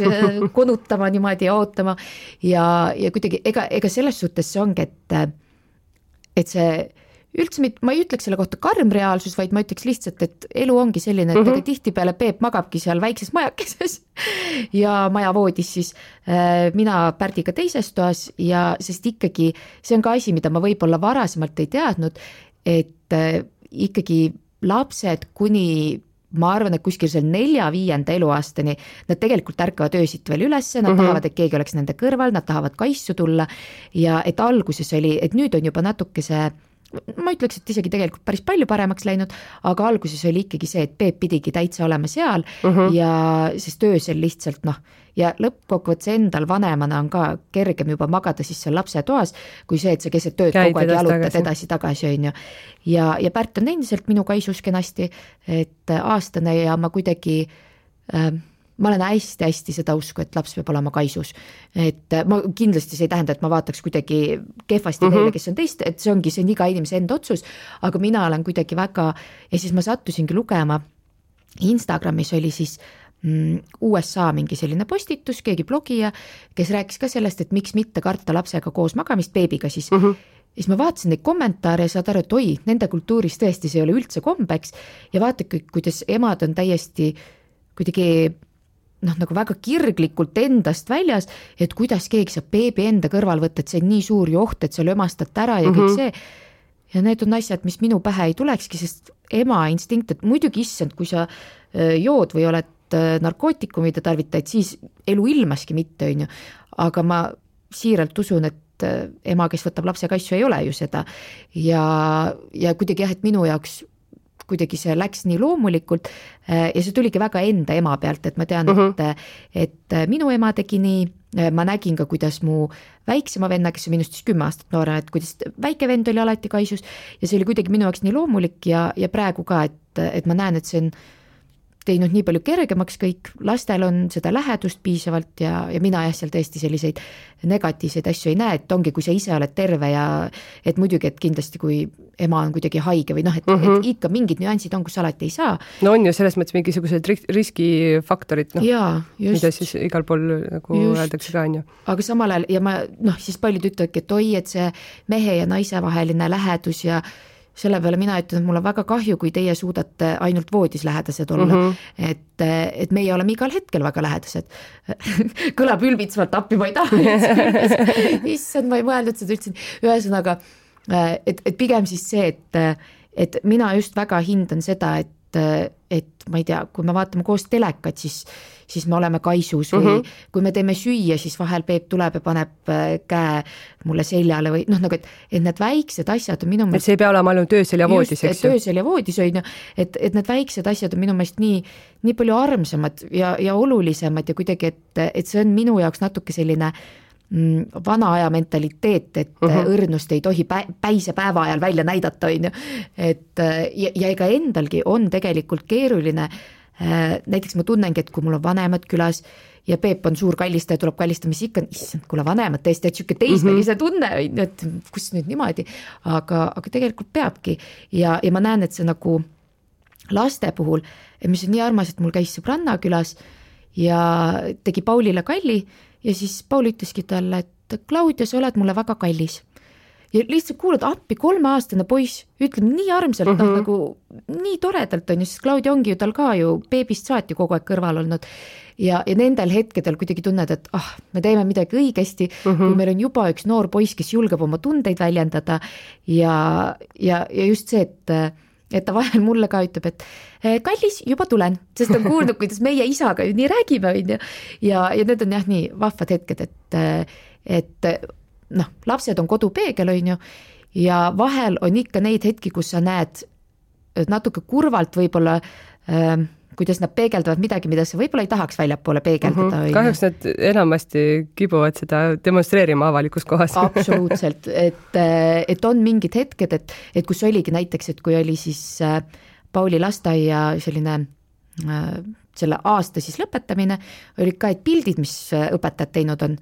konutama niimoodi ja ootama ja kuidagi, ega selles suhtes see ongi, et see üldse ma ei ütleks selle kohta karm reaalsus, vaid ma ütleks lihtsalt, et elu ongi selline, et tihtipeale Peep magabki seal väikses majakeses ja majavoodis siis mina Pärdiga teises toas ja sest ikkagi see on ka asi, mida ma võib-olla varasemalt ei teadnud, et ikkagi lapsed kuni ma arvan, et kuskil seal 4-5 eluaastani nad tegelikult ärkavad öösiti veel üles, nad tahavad, et keegi oleks nende kõrval, nad tahavad kaisu tulla ja et alguses oli, et nüüd on juba natuke see ma ütleks, et isegi tegelikult päris palju paremaks läinud, aga alguses oli ikkagi see, et Peep pidigi täitsa olema seal ja sest öösel lihtsalt ja lõppkokkuvõttes endal vanemana on ka kergem juba magada siis seal lapse toas, kui see, et sa keset tööd kogu aeg jalutad edasi-tagasi on ju. Ja Pärt on endiselt minu kaisus kenasti, et aastane ja ma kuidagi ma olen hästi seda usku, et laps peab olema kaisus. Et ma kindlasti see ei tähenda, et ma vaataks kuidagi kehvasti neile, kes on teist, et see on iga inimese enda otsus, aga mina olen kuidagi väga, ja siis ma sattusingi lugema, Instagramis oli siis USA mingi selline postitus, keegi blogija, kes rääkis ka sellest, et miks mitte karta lapsega koos magamist, beebiga siis. Siis ma vaatasin neid kommentaare ja saad aru, et oi, nende kultuuris tõesti see ei ole üldse kombeks ja vaatake, kuidas emad on täiesti kuidagi nagu väga kirglikult endast väljas, et kuidas keegi saab beebi enda kõrval võtta, et see on nii suur joht, et sa lömastad ära ja kõik see. Ja need on asjad, mis minu pähe ei tulekski, sest ema instinkt, et muidugi issand, kui sa jood või oled narkootikumide tarvitajaid, siis elu ilmaski mitte, on ju. Aga ma siiralt usun, et ema, kes võtab lapse kaisu, ei ole ju seda. Ja kuidagi jah, et minu jaoks kuidagi see läks nii loomulikult ja see tuligi väga enda ema pealt, et ma tean, et minu ema tegi nii, ma nägin ka, kuidas mu väiksema venna, kes on minust siis 10 aastat noorem, et kuidas väike vend oli alati kaisus ja see oli kuidagi minu jaoks nii loomulik ja praegu ka, et ma näen, et see on teinud nii palju kergemaks kõik, lastel on seda lähedust piisavalt ja mina jah, seal tõesti selliseid negatiivseid asju ei näe, et ongi, kui sa ise oled terve ja et muidugi, et kindlasti kui ema on kuidagi haige või et ikka mingid nüansid on, kus alati ei saa. No on ju selles mõttes mingisugused riskifaktorid, mida siis igal pool nagu öeldakse ka, on ju. Aga samal ajal ja ma siis paljud ütlevadki, et oi, et see mehe ja naise vaheline lähedus ja selle peale mina ütlen, et mul on väga kahju, kui teie suudate ainult voodis lähedased olla, et meie oleme igal hetkel väga lähedased. Kõlab ülbitsevalt appi, ma ei taha. Issand, ma ei mõelnud seda üldse. Ühesõnaga, et pigem siis see, et mina just väga hindan seda, et ma ei tea, kui me vaatame koos telekat, siis me oleme kaisus või kui me teeme süüa, siis vahel Peep tuleb ja paneb käe mulle seljale või nagu, et need väiksed asjad on minu meelest... Et see ei pea olema ainult öösel ja voodis, eks ju? Öösel ja voodis on ju, et need väiksed asjad on minu meelest nii palju armsamad ja olulisemad ja kuidagi, et see on minu jaoks natuke selline vana aja mentaliteet, et õrnust ei tohi päise päeva ajal välja näidata, on ju. Ja ega endalgi on tegelikult keeruline, näiteks ma tunnengi, et kui mul on vanemad külas ja Peep on suur kallistaja, tuleb kallistama, siis ikka, issand, kuule vanemad tõesti, et siuke teismelise tunne, et kus nüüd niimoodi, aga tegelikult peabki ja ma näen, et see nagu laste puhul, mis on nii armas, et mul käis sõbranna külas ja tegi Paulile kalli ja siis Paul ütleski talle, et Claudia, sa oled mulle väga kallis. Ja lihtsalt kuulad appi 3-aastane poiss, ütleb nii armsalt, nagu nii toredalt on ju, sest Claudia ongi ju tal ka ju beebist saati kogu aeg kõrval olnud ja nendel hetkedel kuidagi tunned, et me teeme midagi õigesti, kui meil on juba üks noor poiss, kes julgeb oma tundeid väljendada ja just see, et ta vahel mulle ka ütleb, et kallis, juba tulen, sest on kuulnud, kuidas meie isaga ju nii räägime ja need on jah nii vahvad hetked, et lapsed on kodupeegel on ju ja vahel on ikka neid hetki, kus sa näed natuke kurvalt võib-olla, kuidas nad peegeldavad midagi, mida sa võib-olla ei tahaks väljapoole peegeldada. Kahjuks nad enamasti kibuvad seda demonstreerima avalikus kohas. Absoluutselt, et on mingid hetked, et kus oligi näiteks, et kui oli siis Pauli lasteaia selline selle aasta siis lõpetamine, oli ka, et pildid, mis õpetajad teinud on.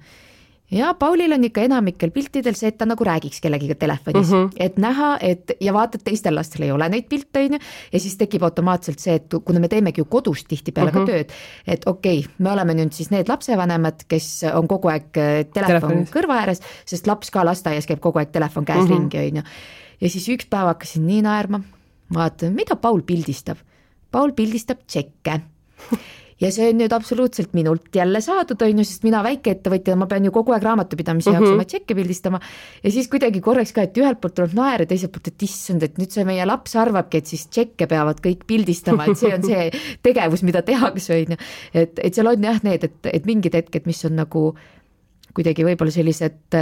Ja Paulil on ikka enamikel piltidel see, et ta nagu räägiks kellegiga telefonis, et näha, ja vaatad, teistel lastel ei ole neid pilte, ja siis tekib automaatselt see, et kuna me teemegi ju kodust tihti peale ka tööd, et okei, me oleme nüüd siis need lapsevanemad, kes on kogu aeg telefon kõrva ääres, sest laps ka lasteaias käib kogu aeg telefon käes ringi, ja siis üks päev hakkasin nii naerma, vaatan, mida Paul pildistab? Paul pildistab tšekke. Ja see on nüüd absoluutselt minult jälle saadud, sest mina väikeettevõtja, ma pean ju kogu aeg raamatupidamise jaoks oma tšekke pildistama ja siis kuidagi korraks ka, et ühelt poolt tuleb naer ja teiselt poolt, et issand, et nüüd see meie laps arvabki, et siis tšekke peavad kõik pildistama, et see on see tegevus, mida tehakse, et seal on jah need, et mingid hetked, mis on nagu kuidagi võib-olla sellised,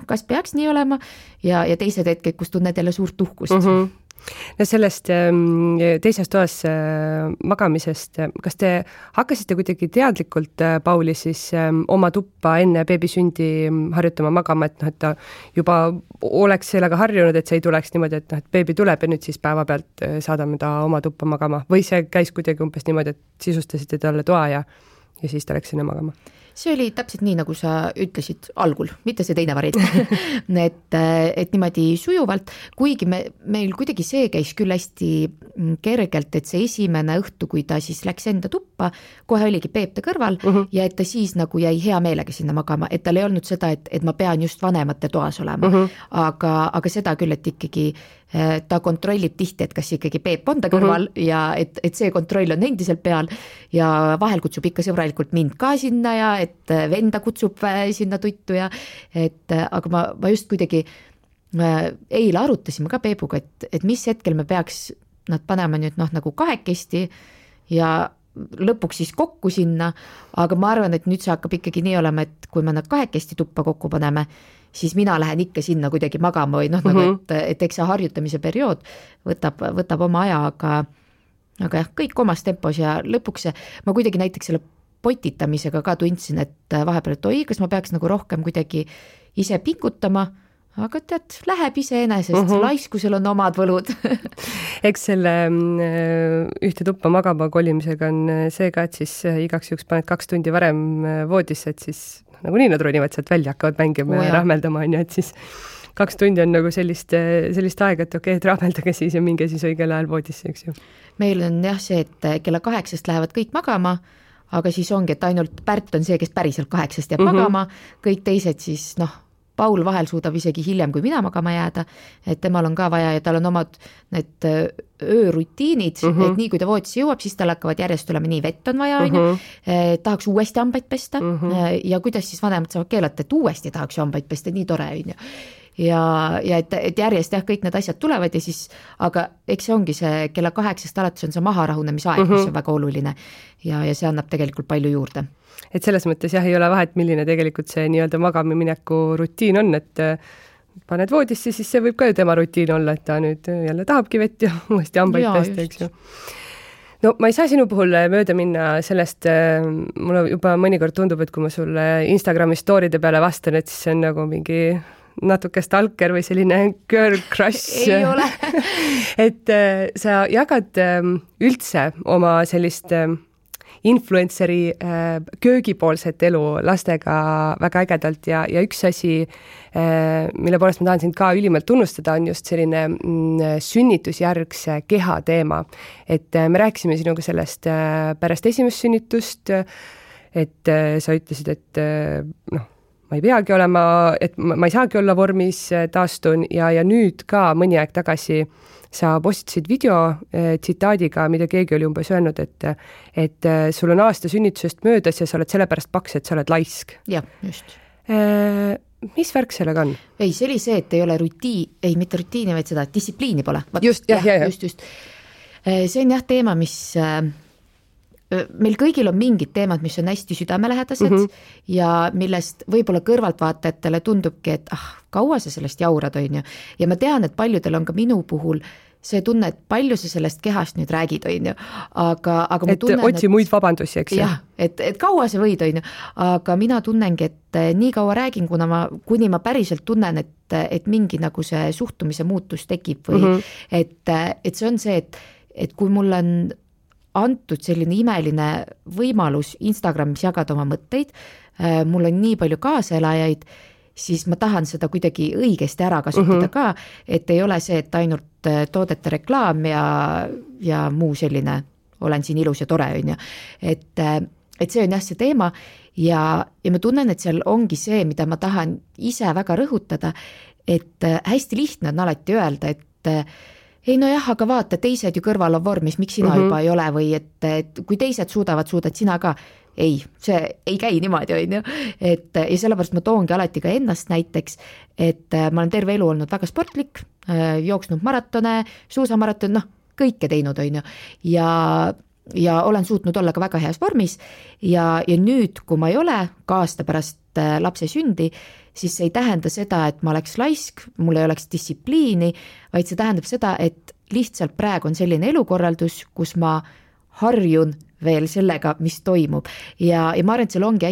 kas peaks nii olema ja teised hetked, kus tunned jälle suurt uhkust. No sellest teises toas magamisest, kas te hakkasite kuidagi teadlikult Pauli siis oma tuppa enne beebi sündi harjutama magama, et ta juba oleks sellega harjunud, et see ei tuleks niimoodi, et beebi tuleb ja nüüd siis päeva pealt saadame ta oma tuppa magama või see käis kuidagi umbes niimoodi, et sisustasite talle toa ja siis ta läks sinna magama? See oli täpselt nii, nagu sa ütlesid algul, mitte see teine variant, et niimoodi sujuvalt, kuigi meil kuidagi see käis küll hästi kergelt, et see esimene õhtu, kui ta siis läks enda tuppa, kohe oligi Peep ta kõrval ja et ta siis nagu jäi hea meelega sinna magama, et tal ei olnud seda, et ma pean just vanemate toas olema, aga seda küll, et ikkagi ta kontrollib tihti, et kas ikkagi Peep on ta kõrval ja et see kontroll on endiselt peal ja vahel kutsub ikka sõbralikult mind ka sinna ja et venda kutsub sinna tuttu ja aga ma just kuidagi eile arutasime ka Peebuga, et mis hetkel me peaks nad panema nüüd nagu kahekesti ja lõpuks siis kokku sinna, aga ma arvan, et nüüd see hakkab ikkagi nii olema, et kui me nad kahekesti tuppa kokku paneme, siis mina lähen ikka sinna kuidagi magama või nagu, et eks see harjutamise periood võtab oma aja, aga jah, kõik omas tempos ja lõpuks ma kuidagi näiteks selle potitamisega ka tundsin, et vahepeal, et oi, kas ma peaks nagu rohkem kuidagi ise pingutama, aga tead, läheb iseenesest, laiskusel on omad võlud. Eks selle ühte tuppa magama kolimisega on see ka, et siis igaks juhuks paned 2 tundi varem voodisse, et siis nagunii nad ronivad sealt välja, hakkavad mängima ja rahmeldama, on ju, et siis 2 tundi on nagu sellist aega, et okei, et rahmeldage siis ja minge siis õigel ajal voodisse, eks ju. Meil on jah see, et kella 8 lähevad kõik magama, aga siis ongi, et ainult Pärt on see, kes päriselt 8 jääb magama, kõik teised siis Paul vahel suudab isegi hiljem, kui mina magama jääda, et temal on ka vaja ja tal on omad need öörutiinid, et nii kui ta voodisse jõuab, siis tal hakkavad järjest tulema nii vett on vaja, tahaks uuesti hambaid pesta ja kuidas siis vanemad saavad keelata, et uuesti tahaks hambaid pesta, nii tore on ju. Ja et järjest jah, kõik need asjad tulevad ja siis, aga eks see ongi see kella 8 alates on see maharahunemisaeg, mis on väga oluline ja see annab tegelikult palju juurde. Et selles mõttes jah, ei ole vahet, milline tegelikult see nii-öelda magamimineku rutiin on, et paned voodisse, siis see võib ka ju tema rutiin olla, et ta nüüd jälle tahabki vett ja uuesti hambaid pesta, eks ju. No ma ei saa sinu puhul mööda minna sellest, mulle juba mõnikord tundub, et kui ma sulle Instagrami story'de peale vastan, et siis see on nagu mingi natuke stalker või selline girl crush. Ei ole. Et sa jagad üldse oma sellist influenceri köögipoolset elu lastega väga ägedalt ja üks asi, mille poolest ma tahan sind ka ülimalt tunnustada, on just selline sünnitusjärgse keha teema. Et me rääkisime sinuga sellest pärast esimest sünnitust, et sa ütlesid, et ma ei peagi olema, et ma ei saagi olla vormis, taastun ja nüüd ka mõni aeg tagasi sa postitasid video tsitaadiga, mida keegi oli umbes öelnud, et sul on aasta sünnitusest möödas ja sa oled sellepärast paks, et sa oled laisk. Jah, just. Mis värk sellega on? Ei, see oli see, et ei ole mitte rutiini, vaid seda distsipliini pole. Just. See on jah teema, mis meil kõigil on mingid teemad, mis on hästi südamelähedased ja millest võib-olla kõrvaltvaatajatele tundubki, et kaua sa sellest jaurad, on ju. Ja ma tean, et paljudel on ka minu puhul see tunne, et palju sa sellest kehast nüüd räägid, on ju. Aga ma tunnen, otsi muid vabandusi, eks ju. Jah, et kaua sa võid, on ju. Aga mina tunnengi, et nii kaua räägin, kuni ma päriselt tunnen, et mingi nagu see suhtumise muutus tekib või et see on see, et kui mul on antud selline imeline võimalus Instagramis jagada oma mõtteid, mul on nii palju kaaselajaid, siis ma tahan seda kuidagi õigesti ära kasutada ka, et ei ole see, et ainult toodete reklaam ja muu selline, olen siin ilus ja tore, on ju. Et see on jah see teema ja ma tunnen, et seal ongi see, mida ma tahan ise väga rõhutada, et hästi lihtne on alati öelda, et ei no jah, aga vaata, teised ju kõrval on vormis, miks sina juba ei ole või et kui teised suudad sina ka. Ei, see ei käi niimoodi, on ju. Ja sellepärast ma toongi alati ka ennast näiteks, et ma olen terve elu olnud väga sportlik, jooksnud maratone, suusamaratone, kõike teinud, on ju. Ja olen suutnud olla ka väga heas vormis ja nüüd, kui ma ei ole ka aasta pärast lapse sündi, siis see ei tähenda seda, et ma oleks laisk, mul ei oleks distsipliini, vaid see tähendab seda, et lihtsalt praegu on selline elukorraldus, kus ma harjun veel sellega, mis toimub. Ja ma arvan, et seal ongi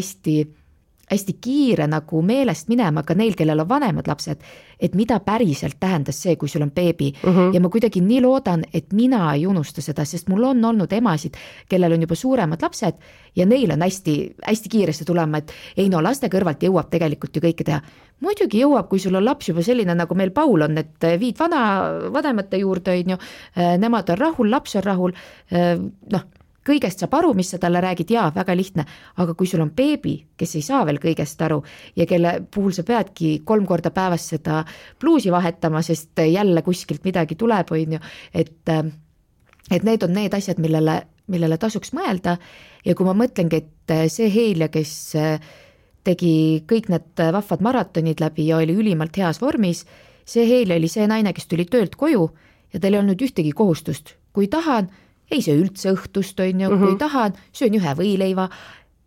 hästi kiire nagu meelest minema ka neil, kellel on vanemad lapsed, et mida päriselt tähendas see, kui sul on beebi. Ja ma kuidagi nii loodan, et mina ei unusta seda, sest mul on olnud emasid, kellel on juba suuremad lapsed ja neil on hästi kiiresti tulema, et ei no laste kõrvalt jõuab tegelikult ju kõike teha. Muidugi jõuab, kui sul on laps juba selline, nagu meil Paul on, et viid vanemate juurde, on ju, nemad on rahul, laps on rahul, kõigest saab aru, mis sa talle räägid, jaa, väga lihtne, aga kui sul on beebi, kes ei saa veel kõigest aru ja kelle puhul sa peadki 3 korda päevas seda pluusi vahetama, sest jälle kuskilt midagi tuleb, on ju, et need on need asjad, millele tasuks mõelda ja kui ma mõtlengi, et see Heilja, kes tegi kõik need vahvad maratonid läbi ja oli ülimalt heas vormis, see Heilja oli see naine, kes tuli töölt koju ja tal ei olnud ühtegi kohustust, kui tahan, ei söö üldse õhtust, on ju, kui tahan, söön 1 võileiva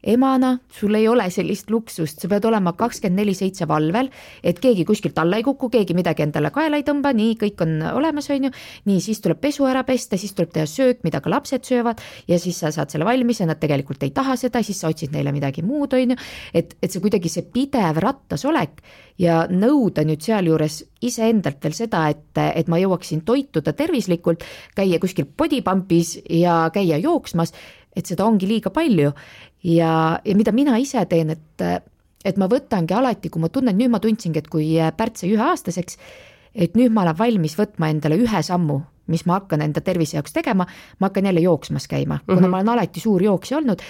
emana sul ei ole sellist luksust, sa pead olema 24/7 valvel, et keegi kuskilt alla ei kuku, keegi midagi endale kaela ei tõmba, nii kõik on olemas, on ju, nii siis tuleb pesu ära pesta, siis tuleb teha söök, mida ka lapsed söövad ja siis sa saad selle valmis ja nad tegelikult ei taha seda, siis sa otsid neile midagi muud, on ju, et see kuidagi see pidev rattas olek ja nõuda nüüd sealjuures iseendalt veel seda, et ma jõuaksin toituda tervislikult, käia kuskil bodypumpis ja käia jooksmas, et seda ongi liiga palju ja mida mina ise teen, et ma võtangi alati, kui ma tunnen, nüüd ma tundsingi, et kui Pärt sai 1-aastaseks, et nüüd ma olen valmis võtma endale ühe sammu, mis ma hakkan enda tervise jaoks tegema, ma hakkan jälle jooksmas käima, kuna ma olen alati suur jooksja olnud,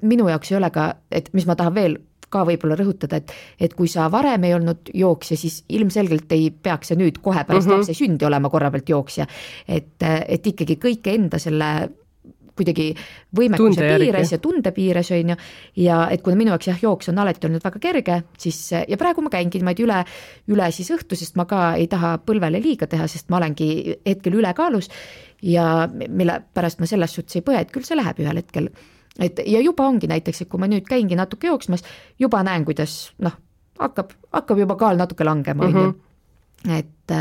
minu jaoks ei ole ka, et mis ma tahan veel ka võib-olla rõhutada, et kui sa varem ei olnud jooksja, siis ilmselgelt ei peaks sa nüüd kohe pärast lapse sündi olema korra pealt jooksja, et ikkagi kõike enda selle kuidagi võimekuse piires ja tunde piires on ju, ja et kuna minu jaoks jah, jooks on alati olnud väga kerge, siis ja praegu ma käingi niimoodi üle siis õhtu, sest ma ka ei taha põlvele liiga teha, sest ma olengi hetkel ülekaalus ja mille pärast ma selles suhtes ei põe, et küll see läheb ühel hetkel. Et ja juba ongi näiteks, et kui ma nüüd käingi natuke jooksmas, juba näen, kuidas hakkab juba kaal natuke langema, on ju. Et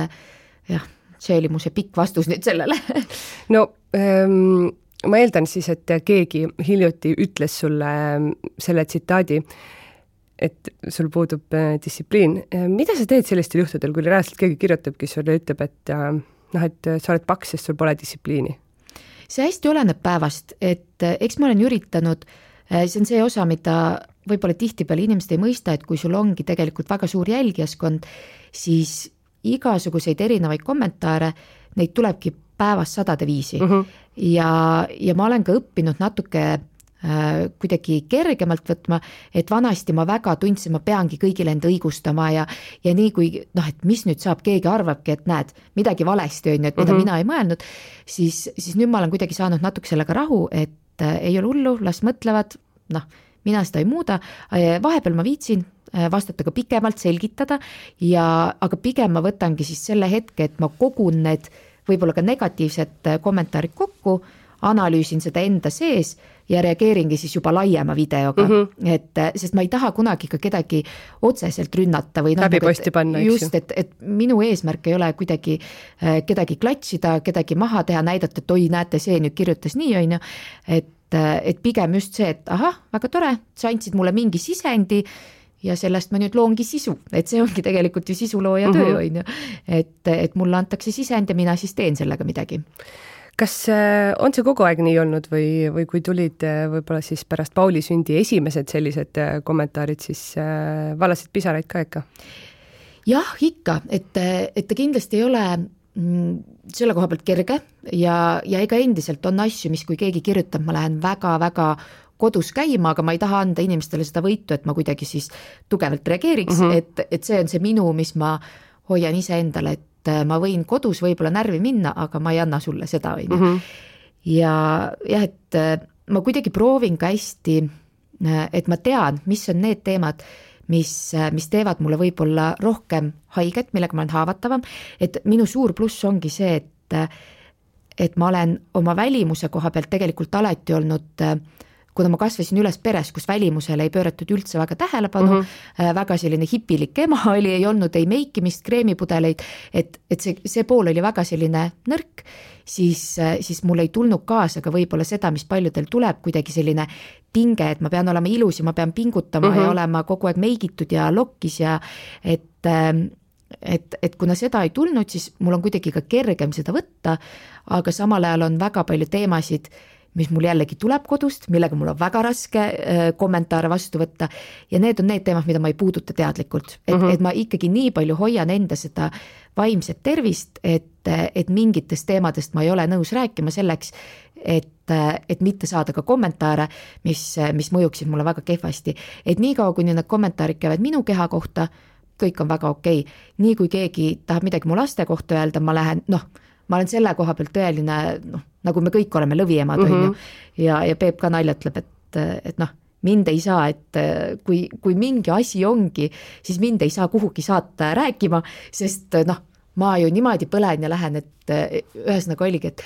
jah, see oli mu see pikk vastus nüüd sellele. No ma eeldan siis, et keegi hiljuti ütles sulle selle tsitaadi, et sul puudub distsipliin. Mida sa teed sellistel juhtudel, kui reaalselt keegi kirjutabki sulle, ütleb, et sa oled paks, sest sul pole distsipliini? See hästi oleneb päevast, et eks ma olen üritanud, see on see osa, mida võib-olla tihtipeale inimesed ei mõista, et kui sul ongi tegelikult väga suur jälgijaskond, siis igasuguseid erinevaid kommentaare, neid tulebki päevas 100 viisi ja ma olen ka õppinud natuke kuidagi kergemalt võtma, et vanasti ma väga tundsin, ma peangi kõigile enda õigustama ja nii kui, et mis nüüd saab, keegi arvabki, et näed, midagi valesti on, et mida mina ei mõelnud, siis nüüd ma olen kuidagi saanud natuke sellega rahu, et ei ole hullu, las mõtlevad, mina seda ei muuda, vahepeal ma viitsin vastata ka pikemalt, selgitada aga pigem ma võtangi siis selle hetke, et ma kogun need võib-olla ka negatiivsed kommentaarid kokku, analüüsin seda enda sees ja reageeringi siis juba laiema videoga, sest ma ei taha kunagi ka kedagi otseselt rünnata või läbiposti panna, just, et minu eesmärk ei ole kuidagi kedagi klatsida, kedagi maha teha, näidata, et oi, näete, see nüüd kirjutas nii, on ju, et pigem just see, et ahah, väga tore, sa andsid mulle mingi sisendi ja sellest ma nüüd loongi sisu, et see ongi tegelikult ju sisulooja töö, on ju, et mulle antakse sisend ja mina siis teen sellega midagi. Kas on see kogu aeg nii olnud või kui tulid võib-olla siis pärast Pauli sündi esimesed sellised kommentaarid, siis valasid pisaraid ka ikka? Jah, ikka, et ta kindlasti ei ole selle koha pealt kerge ja ega endiselt on asju, mis kui keegi kirjutab, ma lähen väga-väga kodus käima, aga ma ei taha anda inimestele seda võitu, et ma kuidagi siis tugevalt reageeriks, et see on see minu, mis ma hoian ise endale, et ma võin kodus võib-olla närvi minna, aga ma ei anna sulle seda, on ju. Ja jah, et ma kuidagi proovin ka hästi, et ma tean, mis on need teemad, mis teevad mulle võib-olla rohkem haiget, millega ma olen haavatavam, et minu suur pluss ongi see, et ma olen oma välimuse koha pealt tegelikult alati olnud kuna ma kasvasin üles peres, kus välimusele ei pööratud üldse väga tähelepanu, väga selline hipilik ema oli, ei olnud ei meikimist, kreemipudeleid, et see pool oli väga selline nõrk, siis mul ei tulnud kaasa ka võib-olla seda, mis paljudel tuleb, kuidagi selline pinge, et ma pean olema ilus ja ma pean pingutama ja olema kogu aeg meigitud ja lokkis ja et kuna seda ei tulnud, siis mul on kuidagi ka kergem seda võtta, aga samal ajal on väga palju teemasid, mis mul jällegi tuleb kodust, millega mul on väga raske kommentaare vastu võtta ja need on need teemad, mida ma ei puuduta teadlikult, et ma ikkagi nii palju hoian enda seda vaimset tervist, et mingitest teemadest ma ei ole nõus rääkima selleks, et mitte saada ka kommentaare, mis mõjuksid mulle väga kehvasti, et niikaua, kui need kommentaarid käivad minu keha kohta, kõik on väga okei. Nii kui keegi tahab midagi mu laste kohta öelda, ma lähen, ma olen selle koha pealt tõeline, nagu me kõik oleme lõviemad, on ju, ja Peep ka naljatleb, et mind ei saa, et kui mingi asi ongi, siis mind ei saa kuhugi saata rääkima, sest ma ju niimoodi põlen ja lähen, et ühesõnaga oligi, et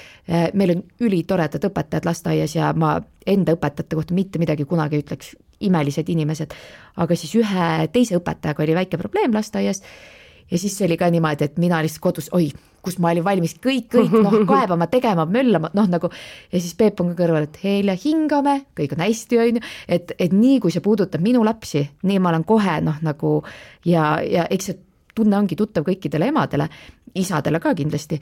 meil on ülitoredad õpetajad lasteaias ja ma enda õpetajate kohta mitte midagi kunagi ei ütleks, imelised inimesed, aga siis ühe teise õpetajaga oli väike probleem lasteaias ja siis oli ka niimoodi, et mina lihtsalt kodus, kus ma olin valmis kõik kaebama, tegema, möllama, nagu ja siis Peep on ka kõrval, et Helja, hingame, kõik on hästi, on ju, et nii, kui see puudutab minu lapsi, nii ma olen kohe nagu ja eks see tunne ongi tuttav kõikidele emadele, isadele ka kindlasti,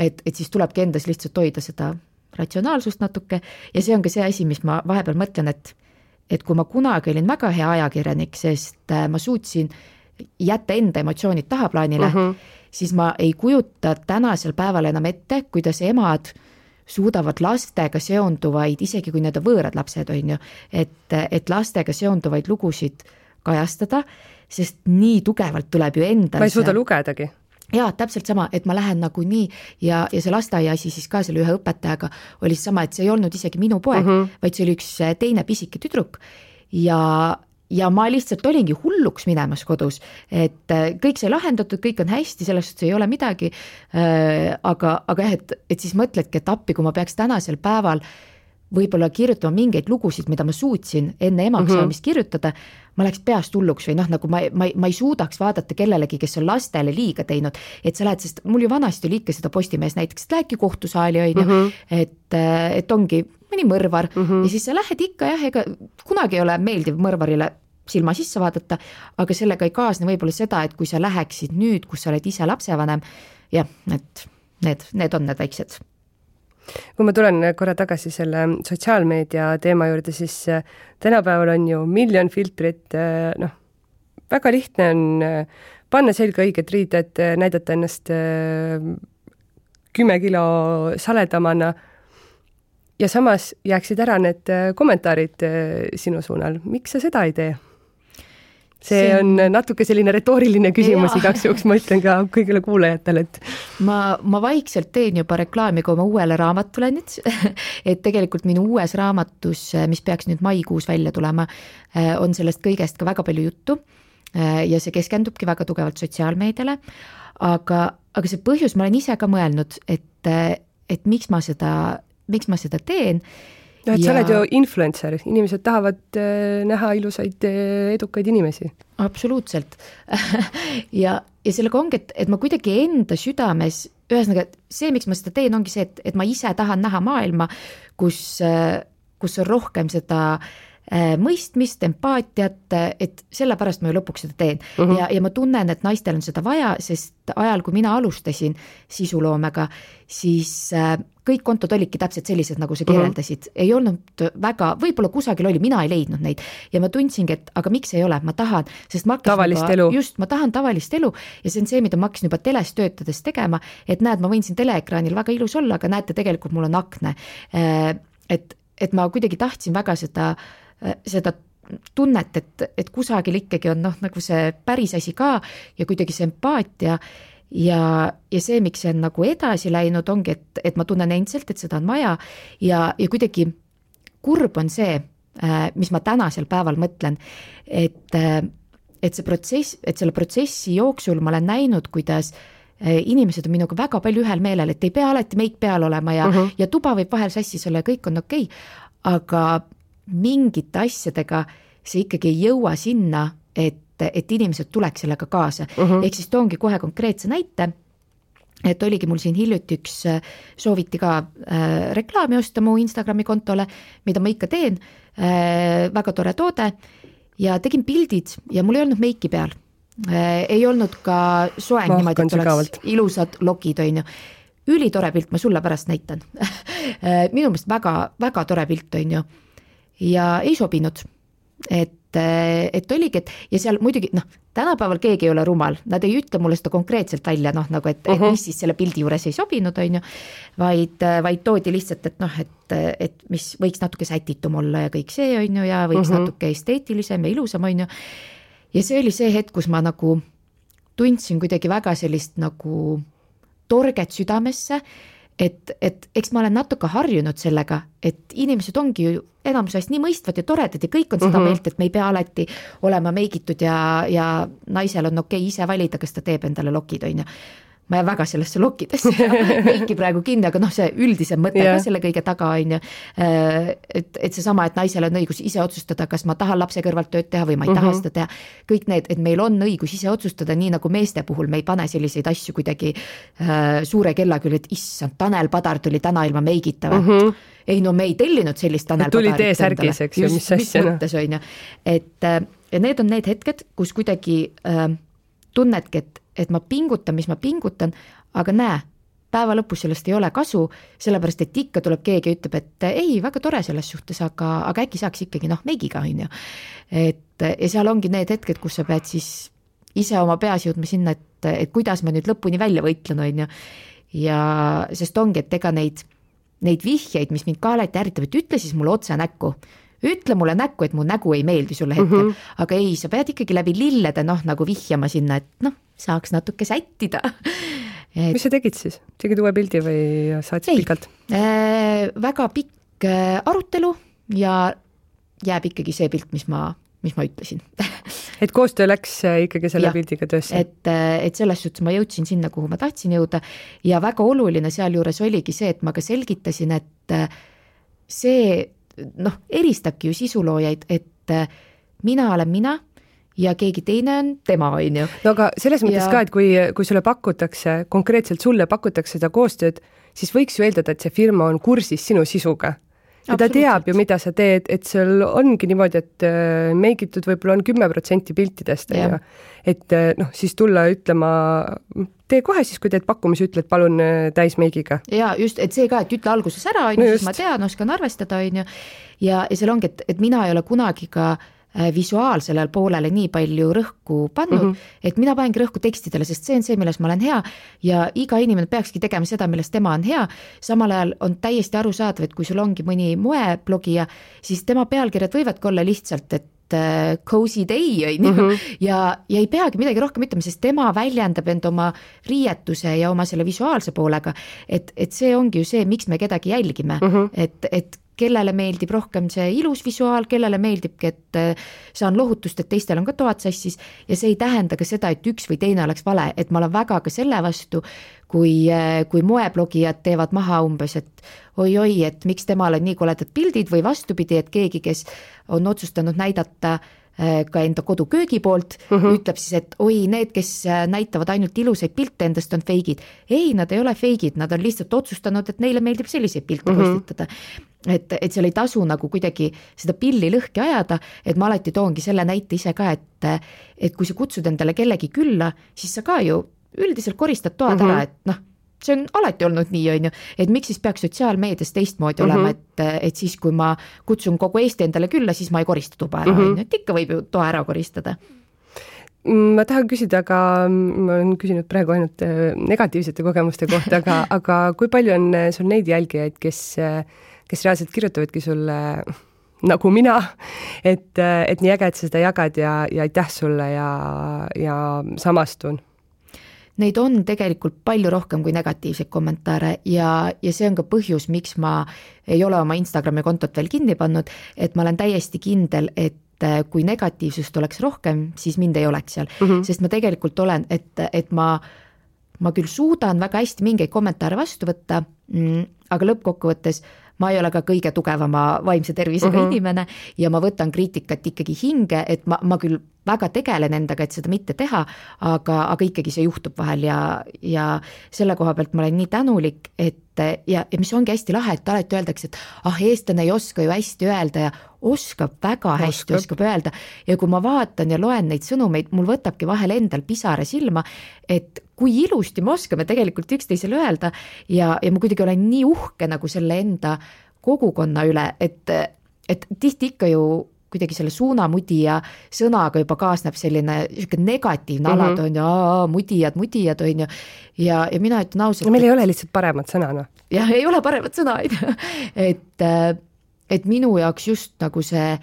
et siis tulebki endas lihtsalt hoida seda ratsionaalsust natuke ja see on ka see asi, mis ma vahepeal mõtlen, et kui ma kunagi olin väga hea ajakirjanik, sest ma suutsin jätta enda emotsioonid tahaplaanile, siis ma ei kujuta tänasel päeval enam ette, kuidas emad suudavad lastega seonduvaid, isegi kui need on võõrad lapsed, on ju, et lastega seonduvaid lugusid kajastada, sest nii tugevalt tuleb ju endal. Ma ei suuda lugedagi. Jaa, täpselt sama, et ma lähen nagu nii ja see lasteaia asi siis ka selle ühe õpetajaga oli sama, et see ei olnud isegi minu poeg, vaid see oli üks teine pisike tüdruk ja ma lihtsalt olingi hulluks minemas kodus, et kõik sai lahendatud, kõik on hästi, sellest ei ole midagi, aga jah, et siis mõtledki, et appi, kui ma peaks tänasel päeval võib-olla kirjutama mingeid lugusid, mida ma suutsin enne emaks saamist kirjutada, ma läheks peast hulluks või nagu ma ei suudaks vaadata kellelegi, kes on lastele liiga teinud, et sa lähed, sest mul ju vanasti oli ikka seda Postimees näiteks, et lähedki kohtusaali, on ju, et ongi mõni mõrvar ja siis sa lähed ikka jah, ega kunagi ei ole meeldiv mõrvarile silma sisse vaadata, aga sellega ei kaasne võib-olla seda, et kui sa läheksid nüüd, kus sa oled ise lapsevanem, jah, et need on need väiksed. Kui ma tulen korra tagasi selle sotsiaalmeedia teema juurde, siis tänapäeval on ju miljon filtrit, väga lihtne on panna selga õiged riided, näidata ennast 10 kilo saledamana ja samas jääksid ära need kommentaarid sinu suunal. Miks sa seda ei tee? See on natuke selline retooriline küsimus, igaks juhuks ma ütlen ka kõigile kuulajatele, et ma vaikselt teen juba reklaami, kui ma uuele raamatule nüüd, et tegelikult minu uues raamatus, mis peaks nüüd maikuus välja tulema, on sellest kõigest ka väga palju juttu ja see keskendubki väga tugevalt sotsiaalmeediale, aga see põhjus, ma olen ise ka mõelnud, et miks ma seda teen. No, et sa oled ju influencer, inimesed tahavad näha ilusaid, edukaid inimesi. Absoluutselt. ja sellega ongi, et ma kuidagi enda südames, ühesõnaga see, miks ma seda teen, ongi see, et ma ise tahan näha maailma, kus on rohkem seda mõistmist, empaatiat, et sellepärast ma ju lõpuks seda teen. Ja ma tunnen, et naistel on seda vaja, sest ajal, kui mina alustasin sisuloomega, siis kõik kontod olidki täpselt sellised, nagu sa kirjeldasid. Ei olnud väga, võib-olla kusagil oli, mina ei leidnud neid. Ja ma tundsingi, et aga miks ei ole, ma tahan, sest ma tavalist elu. Just, ma tahan tavalist elu ja see on see, mida ma hakkasin juba teles töötades tegema, et näed, ma võin siin teleekraanil väga ilus olla, aga näete, tegelikult mul on akne. Et ma kuidagi tahtsin väga seda tunnet, et kusagil ikkagi on nagu see päris asi ka ja kuidagi see empaatia ja see, miks see on nagu edasi läinud, ongi, et ma tunnen endiselt, et seda on vaja ja kuidagi kurb on see, mis ma tänasel päeval mõtlen, et see protsess, et selle protsessi jooksul ma olen näinud, kuidas inimesed on minuga väga palju ühel meelel, et ei pea alati meik peal olema ja tuba võib vahel sassis olla ja kõik on okei, aga mingite asjadega see ikkagi ei jõua sinna, et inimesed tuleks sellega kaasa. Ehk siis toongi kohe konkreetse näite, et oligi mul siin hiljuti sooviti ka reklaami osta mu Instagrami kontole, mida ma ikka teen, väga tore toode ja tegin pildid ja mul ei olnud meiki peal. Ei olnud ka soeng niimoodi, et oleks ilusad lokid, on ju. Ülitore pilt, ma sulle pärast näitan. Minu meelest väga, väga tore pilt, on ju. Ja ei sobinud, et oligi, ja seal muidugi, tänapäeval keegi ei ole rumal, nad ei ütle mulle seda konkreetselt välja, nagu et mis siis selle pildi juures ei sobinud, on ju, vaid toodi lihtsalt, et mis võiks natuke sätitum olla ja kõik see, on ju, ja võiks natuke esteetilisem ja ilusam, on ju. Ja see oli see hetk, kus ma nagu tundsin kuidagi väga sellist nagu torget südamesse, et eks ma olen natuke harjunud sellega, et inimesed ongi ju enamusest nii mõistvad ja toredad ja kõik on seda meelt, et me ei pea alati olema meigitud ja naisel on okei ise valida, kas ta teeb endale lokid, on ju. ma jään väga sellesse lokkidesse meiki praegu kinni, aga noh, see üldisem mõte ka selle kõige taga on ju, et seesama, et naisel on õigus ise otsustada, kas ma tahan lapse kõrvalt tööd teha või ma ei taha seda teha, kõik need, et meil on õigus ise otsustada, nii nagu meeste puhul me ei pane selliseid asju kuidagi suure kella küll, et issand, Tanel Padar tuli täna ilma meigita või? Ei no me ei tellinud sellist Tanel Padarit. Tuli T-särgis, eks ju, mis asja. Mõttes on ju, et ja need on need hetked, kus kuidagi tunnedki, et ma pingutan, mis ma pingutan, aga näe, päeva lõpus sellest ei ole kasu, sellepärast, et ikka tuleb keegi ja ütleb, et ei, väga tore selles suhtes, aga äkki saaks ikkagi meigiga, on ju. Ja seal ongi need hetked, kus sa pead siis ise oma peas jõudma sinna, et kuidas ma nüüd lõpuni välja võitlen, on ju. Ja sest ongi, et ega neid vihjeid, mis mind ka alati ärritab, et ütle siis mulle otse näkku. Ütle mulle näkku, et mu nägu ei meeldi sulle hetkel, aga ei, sa pead ikkagi läbi lillede nagu vihjama sinna, et saaks natuke sättida. Mis sa tegid siis? Tegid uue pildi või saatsid pikalt? Väga pikk arutelu ja jääb ikkagi see pilt, mis ma ütlesin. Et koostöö läks ikkagi selle pildiga töösse? Et selles suhtes ma jõudsin sinna, kuhu ma tahtsin jõuda ja väga oluline sealjuures oligi see, et ma ka selgitasin, et see eristabki ju sisuloojaid, et mina olen mina ja keegi teine on tema, on ju. No aga selles mõttes ka, et kui sulle pakutakse, konkreetselt sulle pakutakse seda koostööd, siis võiks ju eeldada, et see firma on kursis sinu sisuga. Ja ta teab ju, mida sa teed, et seal ongi niimoodi, et meigitud võib-olla on 10% piltidest, et siis tulla ütlema, tee kohe siis, kui teed pakkumisi, ütled palun täis meigiga. Ja just, et see ka, et ütle alguses ära, on ju, siis ma tean, oskan arvestada, on ju, ja seal ongi, et mina ei ole kunagi ka visuaalsele poolele nii palju rõhku pannud, et mina panengi rõhku tekstidele, sest see on see, milles ma olen hea ja iga inimene peakski tegema seda, milles tema on hea. Samal ajal on täiesti arusaadav, et kui sul ongi mõni moeblogija, siis tema pealkirjad võivadki olla lihtsalt, et cozy day on ju, ja ei peagi midagi rohkem ütlema, sest tema väljendab end oma riietuse ja oma selle visuaalse poolega, et see ongi ju see, miks me kedagi jälgime, et kellele meeldib rohkem see ilus visuaal, kellele meeldibki, et saan lohutust, et teistel on ka toad sassis ja see ei tähenda ka seda, et üks või teine oleks vale, et ma olen väga ka selle vastu, kui moeblogijad teevad maha umbes, et oi, et miks temal on nii koledad pildid või vastupidi, et keegi, kes on otsustanud näidata ka enda koduköögi poolt, ütleb siis, et oi, need, kes näitavad ainult ilusaid pilte endast on feigid. Ei, nad ei ole feigid, nad on lihtsalt otsustanud, et neile meeldib selliseid pilte postitada. Et seal ei tasu nagu kuidagi seda pilli lõhki ajada, et ma alati toongi selle näite ise ka, et kui sa kutsud endale kellegi külla, siis sa ka ju üldiselt koristad toad ära, et see on alati olnud nii, on ju, et miks siis peaks sotsiaalmeedias teistmoodi olema, et siis, kui ma kutsun kogu Eesti endale külla, siis ma ei korista tuba ära, et ikka võib ju toa ära koristada. Ma tahan küsida, aga ma olen küsinud praegu ainult negatiivsete kogemuste kohta, aga kui palju on sul neid jälgijaid, kes reaalselt kirjutavadki sulle nagu mina, et nii äge, et seda jagad ja aitäh sulle ja samastun? Neid on tegelikult palju rohkem kui negatiivseid kommentaare ja see on ka põhjus, miks ma ei ole oma Instagrami kontot veel kinni pannud, et ma olen täiesti kindel, et kui negatiivsust oleks rohkem, siis mind ei oleks seal, sest ma tegelikult olen, et ma küll suudan väga hästi mingeid kommentaare vastu võtta, aga lõppkokkuvõttes ma ei ole ka kõige tugevama vaimse tervisega inimene ja ma võtan kriitikat ikkagi hinge, et ma küll väga tegelen endaga, et seda mitte teha, aga ikkagi see juhtub vahel ja selle koha pealt ma olen nii tänulik, ja mis ongi hästi lahe, et alati öeldakse, et eestlane ei oska ju hästi öelda ja oskab väga hästi, oskab öelda ja kui ma vaatan ja loen neid sõnumeid, mul võtabki vahel endal pisare silma, et kui ilusti me oskame tegelikult üksteisele öelda ja ma kuidagi olen nii uhke nagu selle enda kogukonna üle, et tihti ikka ju kuidagi selle suunamudija sõnaga juba kaasneb selline negatiivne alad on ju, mudijad on ju, ja mina ütlen ausalt. Meil ei ole lihtsalt paremat sõna, noh. Jah, ei ole paremat sõna, et minu jaoks just nagu see,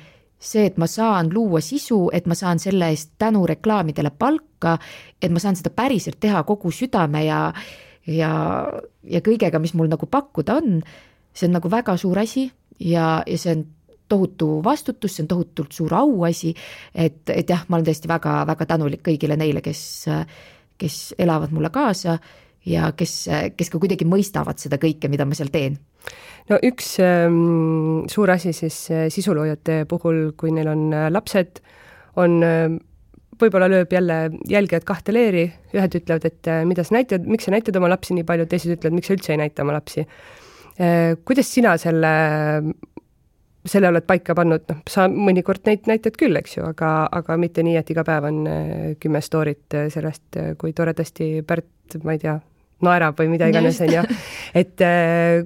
et ma saan luua sisu, et ma saan selle eest tänu reklaamidele palka, et ma saan seda päriselt teha kogu südame ja kõigega, mis mul nagu pakkuda on, see on nagu väga suur asi ja see on tohutu vastutus, see on tohutult suur auasi, et jah, ma olen tõesti väga, väga tänulik kõigile neile, kes elavad mulle kaasa ja kes ka kuidagi mõistavad seda kõike, mida ma seal teen. No üks suur asi siis sisuloojate puhul, kui neil on lapsed, on võib-olla lööb jälle jälgijad kahte leeri, ühed ütlevad, et mida sa näitad, miks sa näitad oma lapsi nii palju, teised ütlevad, miks sa üldse ei näita oma lapsi. Kuidas sina selle oled paika pannud? No, sa mõnikord näitad küll, eks ju, aga mitte nii, et iga päev on 10 storyt sellest, kui toredasti Pärt, ma ei tea, naerab või mida iganes on ju. Et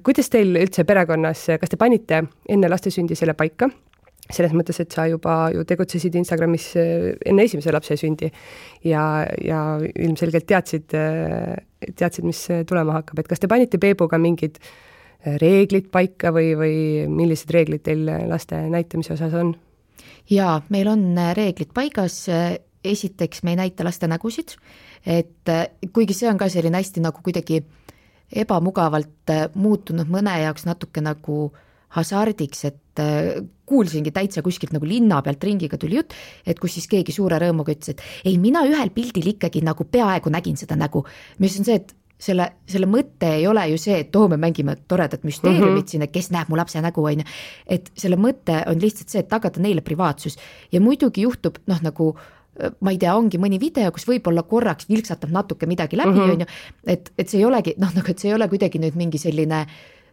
kuidas teil üldse perekonnas, kas te panite enne laste sündi selle paika? Selles mõttes, et sa juba ju tegutsesid Instagramis enne esimese lapse sündi ja ilmselgelt teadsid, mis tulema hakkab. Et kas te panite Peebuga mingid reeglid paika või millised reeglid teil laste näitamise osas on? Jaa, meil on reeglid paigas. Esiteks me ei näita laste nägusid, et kuigi see on ka selline hästi nagu kuidagi ebamugavalt muutunud mõne jaoks natuke nagu hasardiks, et kuulsingi täitsa kuskilt nagu linna pealt ringiga tuli jutt, et kus siis keegi suure rõõmuga ütles, et ei, mina ühel pildil ikkagi nagu peaaegu nägin seda nägu, mis on see, et selle mõte ei ole ju see, et me mängime toredat müsteeriumit siin, et kes näeb mu lapse nägu, on ju, et selle mõte on lihtsalt see, et tagada neile privaatsus ja muidugi juhtub, nagu ma ei tea, ongi mõni video, kus võib-olla korraks vilksatab natuke midagi läbi, on ju, et see ei olegi, nagu et see ei ole kuidagi nüüd mingi selline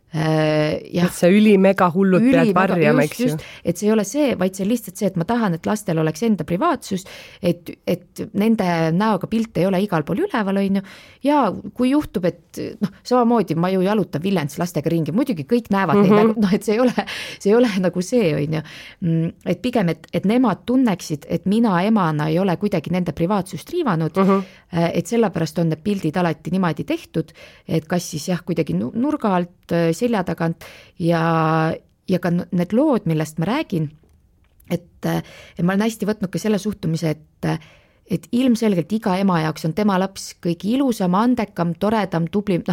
et see ülimega hullud pead varjama, eks ju. Et see ei ole see, vaid see lihtsalt see, et ma tahan, et lastel oleks enda privaatsus, et nende näoga pilt ei ole igal pool üleval, on ju, ja kui juhtub, et samamoodi ma ju jalutan Viljandis lastega ringi, muidugi kõik näevad neid, et see ei ole nagu see, on ju, et pigem, et nemad tunneksid, et mina emana ei ole kuidagi nende privaatsust riivanud, et sellepärast on need pildid alati niimoodi tehtud, et kas siis jah, kuidagi nurga alt, selja tagant ja ka need lood, millest ma räägin, et ma olen hästi võtnud ka selle suhtumise, et ilmselgelt iga ema jaoks on tema laps kõige ilusam, andekam, toredam, tublim,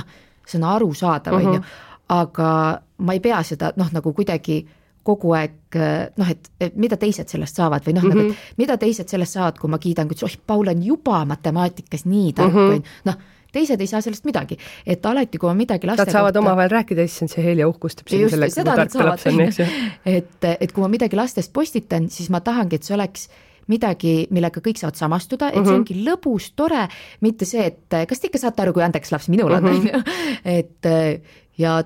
see on arusaadav, on ju, aga ma ei pea seda nagu kuidagi kogu aeg, et mida teised sellest saavad või nagu, et mida teised sellest saavad, kui ma kiidan, kui Paul on juba matemaatikas nii tark, teised ei saa sellest midagi, et alati, kui ma midagi laste kohta... Nad saavad omavahel rääkida, siis on see Helja uhkustab siin selle, kui tarka laps on, eks ju. Et kui ma midagi lastest postitan, siis ma tahangi, et see oleks midagi, millega kõik saavad samastuda, et see ongi lõbus, tore, mitte see, et kas te ikka saate aru, kui andekas laps minul on, et ja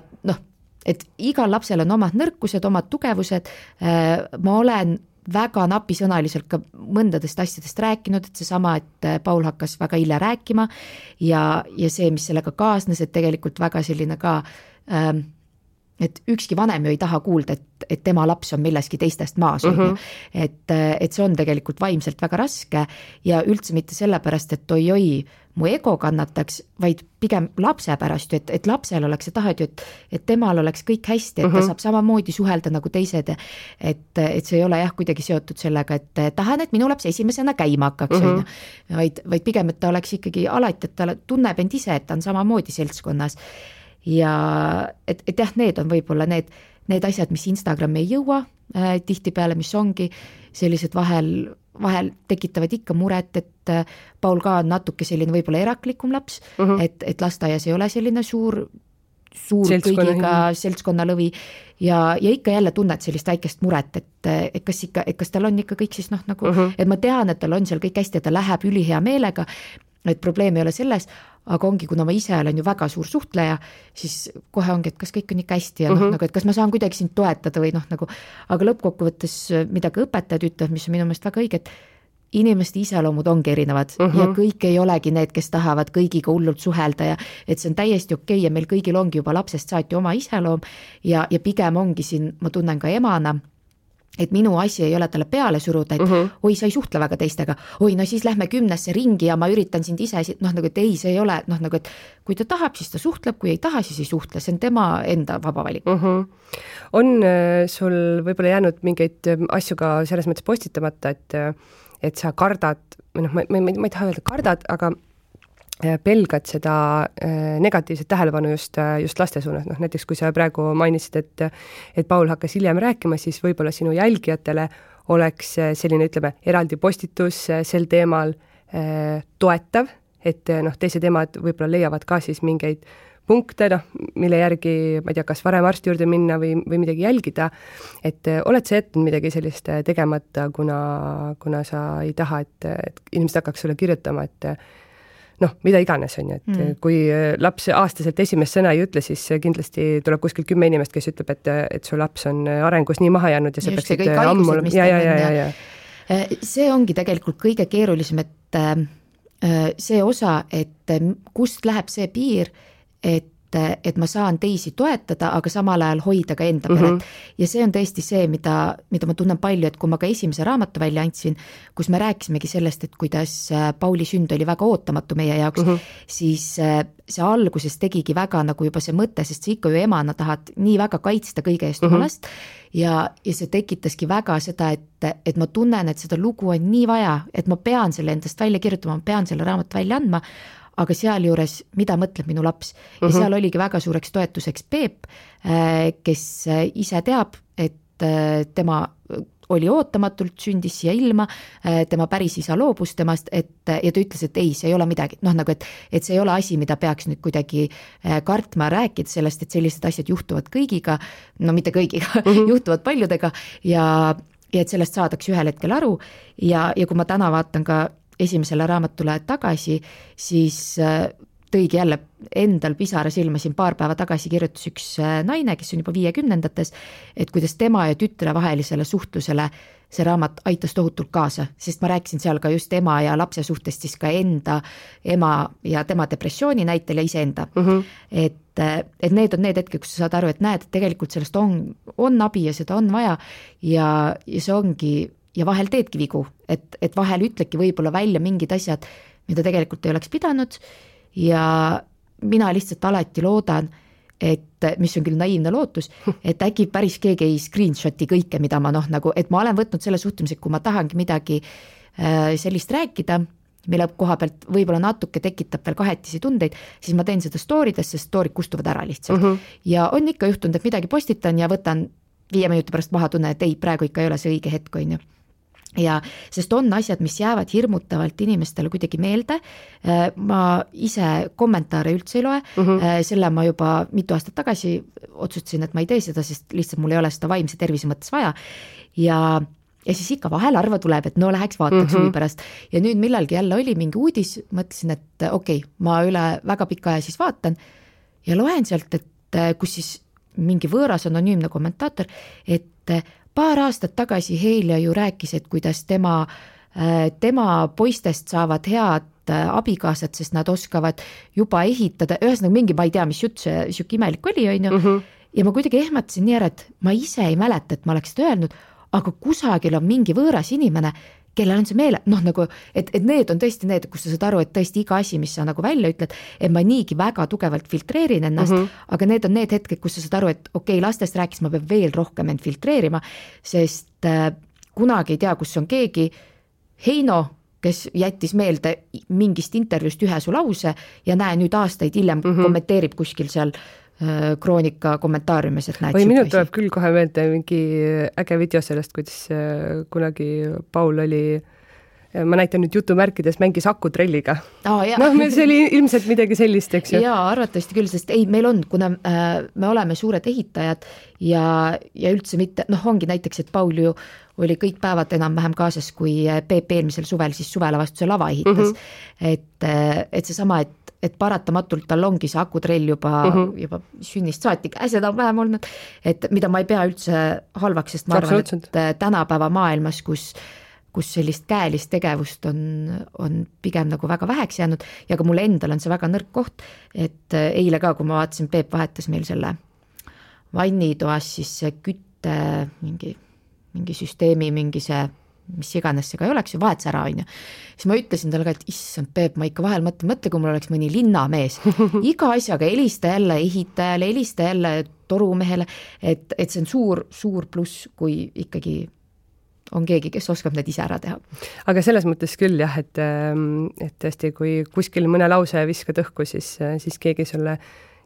et igal lapsel on omad nõrkused, omad tugevused, ma olen väga napisõnaliselt ka mõndadest asjadest rääkinud, et seesama, et Paul hakkas väga hilja rääkima ja see, mis sellega kaasnes, et tegelikult väga selline ka, et ükski vanem ju ei taha kuulda, et tema laps on milleski teistest maas, et see on tegelikult vaimselt väga raske ja üldse mitte sellepärast, et oi, mu ego kannataks, vaid pigem lapse pärast ju, et lapsel oleks see tahad ju, et temal oleks kõik hästi, et ta saab samamoodi suhelda nagu teised, et see ei ole jah kuidagi seotud sellega, et tahan, et minu laps esimesena käima hakkaks, vaid pigem, et ta oleks ikkagi alati, et ta tunneb end ise, et ta on samamoodi seltskonnas ja et jah, need on võib-olla need asjad, mis Instagrami ei jõua tihtipeale, mis ongi sellised vahel tekitavad ikka muret, et Paul ka on natuke selline võib-olla eraklikum laps, et lasteaias ei ole selline suur kõigiga seltskonnalõvi ja ikka jälle tunned sellist väikest muret, et kas tal on ikka kõik siis nagu, et ma tean, et tal on seal kõik hästi ja ta läheb ülihea meelega, et probleem ei ole selles, aga ongi, kuna ma ise olen ju väga suur suhtleja, siis kohe ongi, et kas kõik on ikka hästi ja nagu, et kas ma saan kuidagi sind toetada või nagu, aga lõppkokkuvõttes, mida ka õpetajad ütlevad, mis on minu meelest väga õige, et inimeste iseloomud ongi erinevad ja kõik ei olegi need, kes tahavad kõigiga hullult suhelda ja et see on täiesti okei ja meil kõigil ongi juba lapsest saati oma iseloom ja pigem ongi siin, ma tunnen ka emana, et minu asi ei ole talle peale suruda, et oi, sa ei suhtle väga teistega, oi, no siis lähme 10 ringi ja ma üritan sind ise, nagu, et ei, see ei ole, nagu, et kui ta tahab, siis ta suhtleb, kui ei taha, siis ei suhtle, see on tema enda vaba valik. On sul võib-olla jäänud mingeid asju ka selles mõttes postitamata, et sa kardad, ma ei taha öelda kardad, aga pelgad seda negatiivset tähelepanu just laste suunas. Näiteks kui sa praegu mainisid, et Paul hakkas hiljem rääkima, siis võib-olla sinu jälgijatele oleks selline, ütleme, eraldi postitus sel teemal toetav et noh, teised emad võib-olla leiavad ka siis mingeid punkte, noh, mille järgi, ma ei tea, kas varem arsti juurde minna või midagi jälgida, et oled sa jätnud midagi sellist tegemata, kuna sa ei taha, et inimesed hakkaks sulle kirjutama, et noh, mida iganes on ju, et kui laps aastaselt esimest sõna ei ütle, siis kindlasti tuleb kuskil 10 inimest, kes ütleb, et su laps on arengus nii maha jäänud ja see just peaksid ammu... Ja. See ongi tegelikult kõige keerulisem, et see osa, et kust läheb see piir, et ma saan teisi toetada, aga samal ajal hoida ka enda peret. Ja see on tõesti see, mida ma tunnen palju, et kui ma ka esimese raamatu välja andsin, kus me rääkisimegi sellest, et kuidas Pauli sünd oli väga ootamatu meie jaoks, siis see alguses tegigi väga nagu juba see mõte, sest sa ikka ju emana tahad nii väga kaitsta kõige eest oma last ja see tekitaski väga seda, et ma tunnen, et seda lugu on nii vaja, et ma pean selle endast välja kirjutama, ma pean selle raamatu välja andma, aga sealjuures, mida mõtleb minu laps. Ja seal oligi väga suureks toetuseks Peep, kes ise teab, et tema oli ootamatult, sündis siia ilma, tema päris isa loobus temast, ja ta ütles, et ei, see ei ole midagi, noh nagu, et see ei ole asi, mida peaks nüüd kuidagi kartma, rääkida sellest, et sellised asjad juhtuvad kõigiga, no mitte kõigiga, juhtuvad paljudega ja et sellest saadakse ühel hetkel aru ja kui ma täna vaatan ka esimesele raamatule tagasi, siis tõigi jälle endal pisara silma, siin paar päeva tagasi kirjutas üks naine, kes on juba 50-ndates, et kuidas tema ja tütre vahelisele suhtlusele see raamat aitas tohutult kaasa, sest ma rääkisin seal ka just ema ja lapse suhtest siis ka enda, ema ja tema depressiooni näitel ja iseenda. Et need on need hetked, kus sa saad aru, et näed, et tegelikult sellest on abi ja seda on vaja ja see ongi ja vahel teedki vigu, et vahel ütledki võib-olla välja mingid asjad, mida tegelikult ei oleks pidanud ja mina lihtsalt alati loodan, et mis on küll naiivne lootus, et äkki päris keegi ei screenshoti kõike, mida ma nagu, et ma olen võtnud selle suhtumise, kui ma tahangi midagi sellist rääkida, mille koha pealt võib-olla natuke tekitab veel kahetisi tundeid, siis ma teen seda story'des, sest story'd kustuvad ära lihtsalt. Ja on ikka juhtunud, et midagi postitan ja võtan 5 minuti pärast maha tunne, et ei, praegu ikka ei ole see õige hetk, on ju. Ja sest on asjad, mis jäävad hirmutavalt inimestele kuidagi meelde, ma ise kommentaare üldse ei loe, selle ma juba mitu aastat tagasi otsustasin, et ma ei tee seda, sest lihtsalt mul ei ole seda vaimse tervise mõttes vaja ja siis ikka vahel harva tuleb, et no läheks vaataks huvi pärast ja nüüd millalgi jälle oli mingi uudis, mõtlesin, et okei, ma üle väga pika aja siis vaatan ja loen sealt, et kus siis mingi võõras anonüümne kommentaator, et paar aastat tagasi Heilja ju rääkis, et kuidas tema poistest saavad head abikaasad, sest nad oskavad juba ehitada, ühesõnaga mingi, ma ei tea, mis jutt see siuke imelik oli, on ju, ja ma kuidagi ehmatasin nii ära, et ma ise ei mäleta, et ma oleks seda öelnud, aga kusagil on mingi võõras inimene, kellel on see meele, noh nagu, et need on tõesti need, kus sa saad aru, et tõesti iga asi, mis sa nagu välja ütled, et ma niigi väga tugevalt filtreerin ennast, aga need on need hetked, kus sa saad aru, et okei, lastest rääkis, ma pean veel rohkem end filtreerima, sest kunagi ei tea, kus on keegi Heino, kes jättis meelde mingist intervjuust ühe su lause ja näe nüüd aastaid hiljem kommenteerib kuskil seal Kroonika kommentaariumis, et näed. Või minu tuleb küll kohe meelde mingi äge video sellest, kuidas kunagi Paul oli, ma näitan nüüd jutumärkides, mängis akutrelliga. See oli ilmselt midagi sellist, eks ju? Jaa, arvatavasti küll, sest ei, meil on, kuna me oleme suured ehitajad ja üldse mitte, ongi näiteks, et Paul ju oli kõik päevad enam-vähem kaasas, kui Peep eelmisel suvel siis suvelavastuse lava ehitas. Et see sama, et paratamatult tal ongi see akutrell juba sünnist saati käsed on vähem olnud, et mida ma ei pea üldse halvaks, sest ma arvan, et tänapäeva maailmas, kus sellist käelist tegevust on pigem nagu väga väheks jäänud ja ka mulle endal on see väga nõrk koht, et eile ka, kui ma vaatasin, Peep vahetas meil selle vannitoas siis see kütte mingi süsteemi, mingi see mis iganes see ka ei oleks, ju vahetas ära, on ju. Siis ma ütlesin talle ka, et issand Peep, ma ikka vahel mõtle, kui mul oleks mõni linnamees. Iga asjaga helista jälle ehitajale, helista jälle torumehele, et see on suur pluss, kui ikkagi on keegi, kes oskab need ise ära teha. Aga selles mõttes küll jah, et tõesti, kui kuskil mõne lause viskad õhku, siis keegi sulle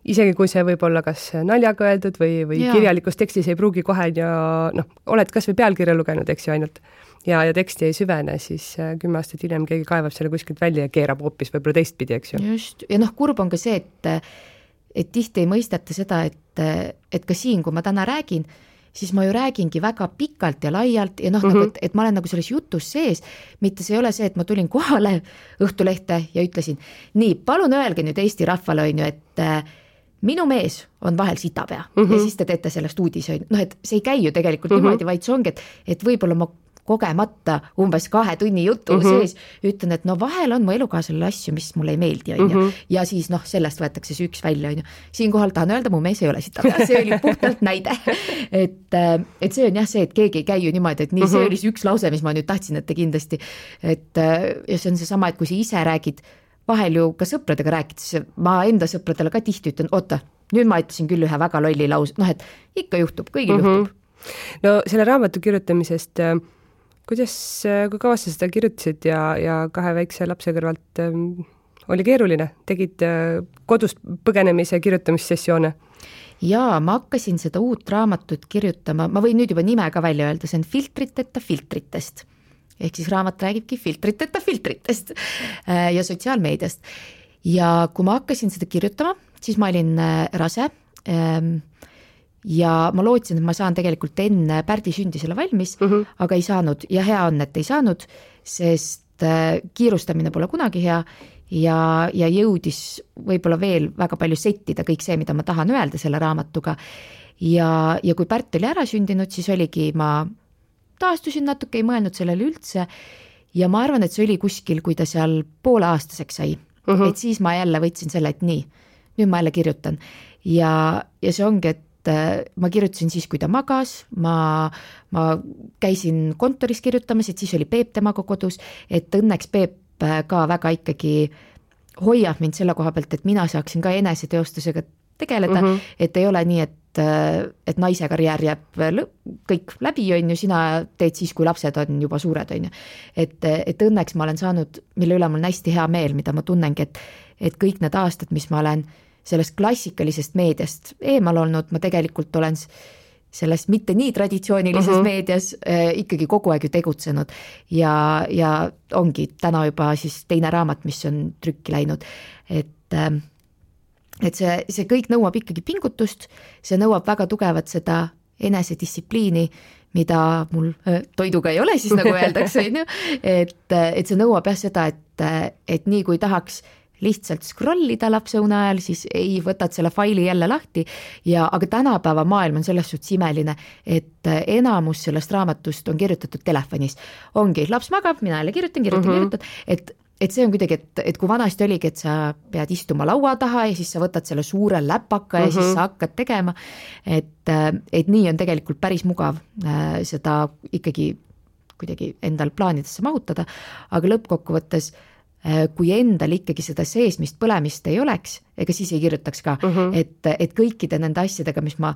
isegi kui see võib olla kas naljaga öeldud või kirjalikus tekstis ei pruugi kohe ja oled kas või pealkirja lugenud, eks ju ainult, ja teksti ei süvene, siis 10 aastat hiljem keegi kaevab selle kuskilt välja ja keerab hoopis võib-olla teistpidi, eks ju. Just, ja kurb on ka see, et tihti ei mõisteta seda, et ka siin, kui ma täna räägin, siis ma ju räägingi väga pikalt ja laialt ja nagu, et ma olen nagu selles jutus sees, mitte see ei ole see, et ma tulin kohale Õhtulehte ja ütlesin, nii, palun öelge nüüd Eesti rahvale, on ju, et minu mees on vahel sitapea ja siis te teete sellest uudise, et see ei käi ju tegelikult niimoodi, vaid see ongi, et võib-olla ma kogemata umbes 2 tunni jutu sees ütlen, et vahel on mu elukaaslasele asju, mis mulle ei meeldi, on ju, ja siis sellest võetakse see üks välja, on ju. Siinkohal tahan öelda, mu mees ei ole sitapea, see oli puhtalt näide, et see on jah see, et keegi ei käi ju niimoodi, et nii, see oli see üks lause, mis ma nüüd tahtsin, et te kindlasti, et ja see on seesama, et kui sa ise räägid, vahel ju ka sõpradega rääkides, ma enda sõpradele ka tihti ütlen, oota, nüüd ma ütlesin küll ühe väga lolli lause, et ikka juhtub, kõigil juhtub. No selle raamatu kirjutamisest, kui kaua sa seda kirjutasid ja 2 väikse lapse kõrvalt oli keeruline? Tegid kodust põgenemise kirjutamissessioone? Jaa, ma hakkasin seda uut raamatut kirjutama, ma võin nüüd juba nime ka välja öelda, see on Filtriteta filtritest. Ehk siis raamat räägibki filtriteta filtritest ja sotsiaalmeediast. Ja kui ma hakkasin seda kirjutama, siis ma olin rase ja ma lootsin, et ma saan tegelikult enne Pärdi sündi selle valmis, aga ei saanud ja hea on, et ei saanud, sest kiirustamine pole kunagi hea ja jõudis võib-olla veel väga palju settida kõik see, mida ma tahan öelda selle raamatuga. Ja kui Pärt oli ära sündinud, siis oligi, ma taastusin natuke, ei mõelnud sellele üldse ja ma arvan, et see oli kuskil, kui ta seal pooleaastaseks sai. Et siis ma jälle võtsin selle, et nii, nüüd ma jälle kirjutan ja see ongi, et ma kirjutasin siis, kui ta magas, ma käisin kontoris kirjutamas, et siis oli Peep temaga kodus, et õnneks Peep ka väga ikkagi hoiab mind selle koha pealt, et mina saaksin ka eneseteostusega tegeleda, et ei ole nii, et naise karjäär jääb kõik läbi, on ju, sina teed siis, kui lapsed on juba suured, on ju. Et õnneks ma olen saanud, mille üle mul on hästi hea meel, mida ma tunnengi, et kõik need aastad, mis ma olen sellest klassikalisest meediast eemal olnud, ma tegelikult olen selles mitte nii traditsioonilises meedias ikkagi kogu aeg ju tegutsenud ja ongi täna juba siis teine raamat, mis on trükki läinud, et see kõik nõuab ikkagi pingutust, see nõuab väga tugevat seda enesedistsipliini, mida mul toiduga ei ole, siis nagu öeldakse, et see nõuab jah seda, et nii kui tahaks lihtsalt scrollida lapse une ajal, siis ei võtad selle faili jälle lahti aga tänapäeva maailm on selles suhtes imeline, et enamus sellest raamatust on kirjutatud telefonis. Ongi, laps magab, mina jälle kirjutan, et see on kuidagi, et kui vanasti oligi, et sa pead istuma laua taha ja siis sa võtad selle suure läpaka ja siis sa hakkad tegema, et nii on tegelikult päris mugav seda ikkagi kuidagi endal plaanidesse mahutada, aga lõppkokkuvõttes kui endal ikkagi seda seesmist põlemist ei oleks, ega siis ei kirjutaks ka, et kõikide nende asjadega, mis ma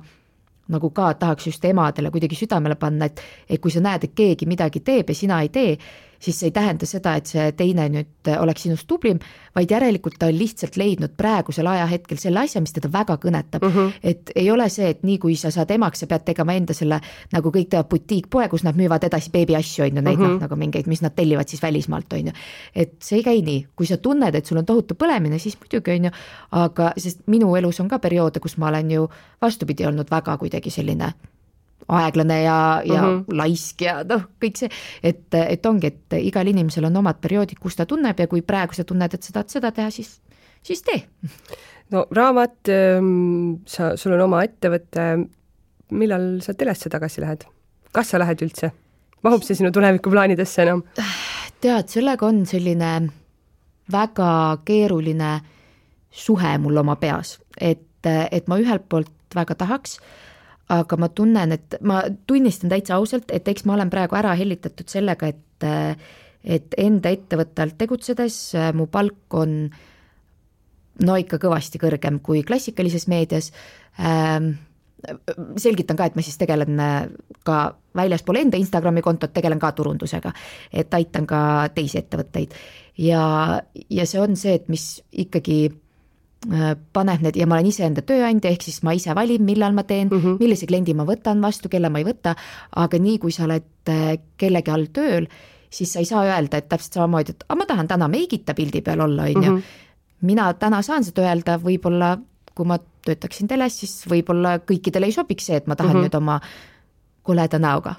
nagu ka tahaks just emadele kuidagi südamele panna, et kui sa näed, et keegi midagi teeb ja sina ei tee, siis see ei tähenda seda, et see teine nüüd oleks sinust tublim, vaid järelikult ta on lihtsalt leidnud praegusel ajahetkel selle asja, mis teda väga kõnetab. Et ei ole see, et nii kui sa saad emaks, sa pead tegema enda selle, nagu kõik teevad butiikpoe, kus nad müüvad edasi beebi asju, on ju, neid nagu mingeid, mis nad tellivad siis välismaalt, on ju. Et see ei käi nii, kui sa tunned, et sul on tohutu põlemine, siis muidugi on ju, aga sest minu elus on ka perioode, kus ma olen ju vastupidi olnud väga kuidagi selline aeglane ja laisk ja kõik see, et ongi, et igal inimesel on omad perioodid, kus ta tunneb ja kui praegu sa tunned, et sa tahad seda teha, siis tee. No raamat, sul on oma ettevõte, millal sa telesse tagasi lähed? Kas sa lähed üldse? Mahub see sinu tulevikuplaanidesse enam? Tead, sellega on selline väga keeruline suhe mul oma peas, et ma ühelt poolt väga tahaks, aga ma tunnen, et ma tunnistan täitsa ausalt, et eks ma olen praegu ära hellitatud sellega, et enda ettevõtte alt tegutsedes mu palk on ikka kõvasti kõrgem kui klassikalises meedias. Selgitan ka, et ma siis tegelen ka väljaspool enda Instagrami kontot, tegelen ka turundusega, et aitan ka teisi ettevõtteid. Ja see on see, et mis ikkagi paneb need ja ma olen ise enda tööandja, ehk siis ma ise valin, millal ma teen, millise kliendi ma võtan vastu, kelle ma ei võta, aga nii kui sa oled kellegi all tööl, siis sa ei saa öelda, et täpselt samamoodi, et ma tahan täna meigita pildi peal olla, on ju. Mina täna saan seda öelda, võib-olla kui ma töötaksin teles, siis võib-olla kõikidele ei sobiks see, et ma tahan nüüd oma koleda näoga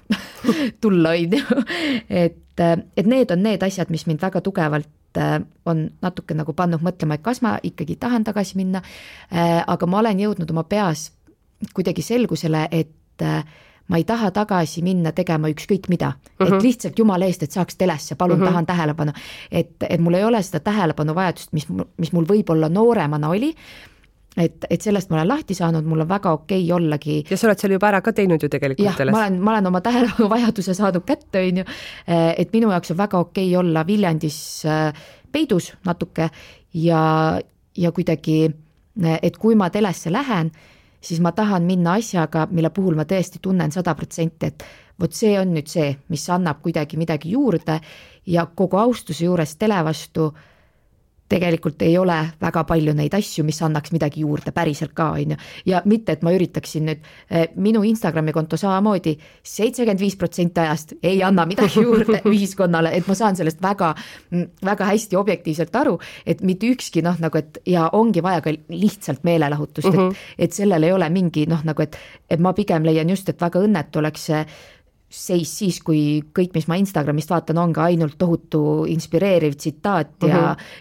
tulla, on ju. Et need on need asjad, mis mind väga tugevalt on natuke nagu pannud mõtlema, et kas ma ikkagi tahan tagasi minna, aga ma olen jõudnud oma peas kuidagi selgusele, et ma ei taha tagasi minna tegema ükskõik mida, et lihtsalt jumala eest, et saaks telesse, palun tahan tähelepanu, et mul ei ole seda tähelepanu vajadust, mis mul võib-olla nooremana oli, et sellest ma olen lahti saanud, mul on väga okei ollagi. Ja sa oled seal juba ära ka teinud ju tegelikult jah, ma olen oma tähelepanu vajaduse saanud kätte, on ju, et minu jaoks on väga okei olla Viljandis peidus natuke ja kuidagi, et kui ma telesse lähen, siis ma tahan minna asjaga, mille puhul ma tõesti tunnen 100%, et vot see on nüüd see, mis annab kuidagi midagi juurde ja kogu austuse juures tele vastu tegelikult ei ole väga palju neid asju, mis annaks midagi juurde päriselt ka, on ju. Ja mitte, et ma üritaksin nüüd, minu Instagrami konto samamoodi 75% ajast ei anna midagi juurde ühiskonnale, et ma saan sellest väga, väga hästi objektiivselt aru, et mitte ükski nagu, et ja ongi vaja ka lihtsalt meelelahutust, et sellel ei ole mingi nagu, et ma pigem leian just, et väga õnnetu oleks see seis siis, kui kõik, mis ma Instagramist vaatan, on ka ainult tohutu inspireeriv tsitaat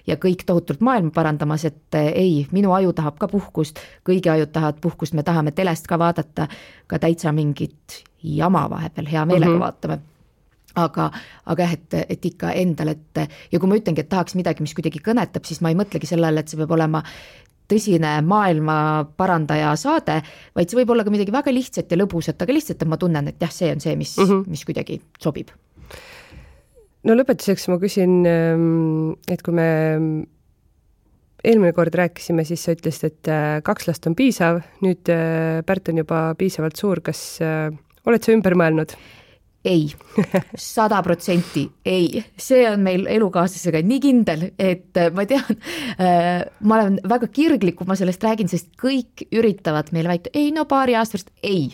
ja kõik tohutult maailma parandamas, et ei, minu aju tahab ka puhkust, kõigi ajud tahavad puhkust, me tahame telest ka vaadata, ka täitsa mingit jama vahepeal hea meelega vaatame. Aga jah, et ikka endal, ja kui ma ütlengi, et tahaks midagi, mis kuidagi kõnetab, siis ma ei mõtlegi sellele, et see peab olema tõsine maailma parandaja saade, vaid see võib olla ka midagi väga lihtsat ja lõbusat, aga lihtsalt, et ma tunnen, et jah, see on see, mis kuidagi sobib. No lõpetuseks ma küsin, et kui me eelmine kord rääkisime, siis sa ütlesid, et 2 last on piisav, nüüd Pärt on juba piisavalt suur, kas oled sa ümber mõelnud? Ei, 100% ei, see on meil elukaaslasega nii kindel, et ma tean, ma olen väga kirglik, kui ma sellest räägin, sest kõik üritavad meile väita, ei no paari aasta pärast, ei.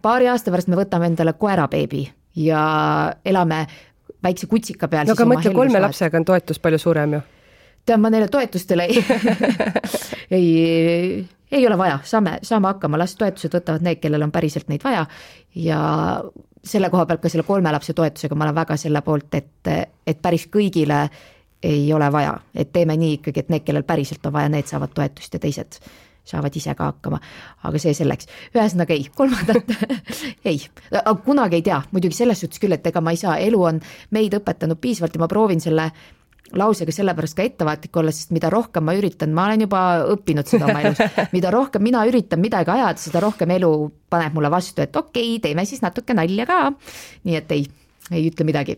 Paari aasta pärast me võtame endale koerabeebi ja elame väikse kutsika peal. No aga mõtle, 3 lapsega on toetus palju suurem ju. Tean, ma neile toetustele ei ole vaja, saame hakkama, las toetused võtavad need, kellel on päriselt neid vaja ja selle koha pealt ka selle 3 lapse toetusega ma olen väga selle poolt, et päris kõigile ei ole vaja, et teeme nii ikkagi, et need, kellel päriselt on vaja, need saavad toetust ja teised saavad ise ka hakkama, aga see selleks. Ühesõnaga ei, 3. ei, kunagi ei tea, muidugi selles suhtes küll, et ega ma ei saa, elu on meid õpetanud piisavalt ja ma proovin selle lausega sellepärast ka ettevaatlik olla, sest mida rohkem ma üritan, ma olen juba õppinud seda oma elus, mida rohkem mina üritan midagi ajada, seda rohkem elu paneb mulle vastu, et okei, teeme siis natuke nalja ka, nii et ei ütle midagi.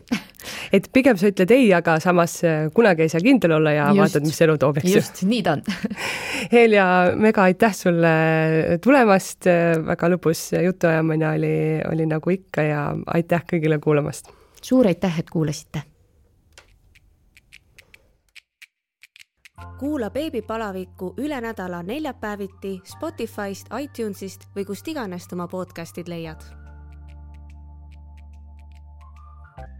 Et pigem sa ütled ei, aga samas kunagi ei saa kindel olla ja just, vaatad, mis elu toob. Just, nii ta on. Helja, mega aitäh sulle tulemast, väga lõbus jutuajamine oli nagu ikka ja aitäh kõigile kuulamast. Suur aitäh, et kuulasite. Kuula Beebipalaviku üle nädala neljapäeviti Spotify'st, iTunes'ist või kust iganes oma podcastid leiad.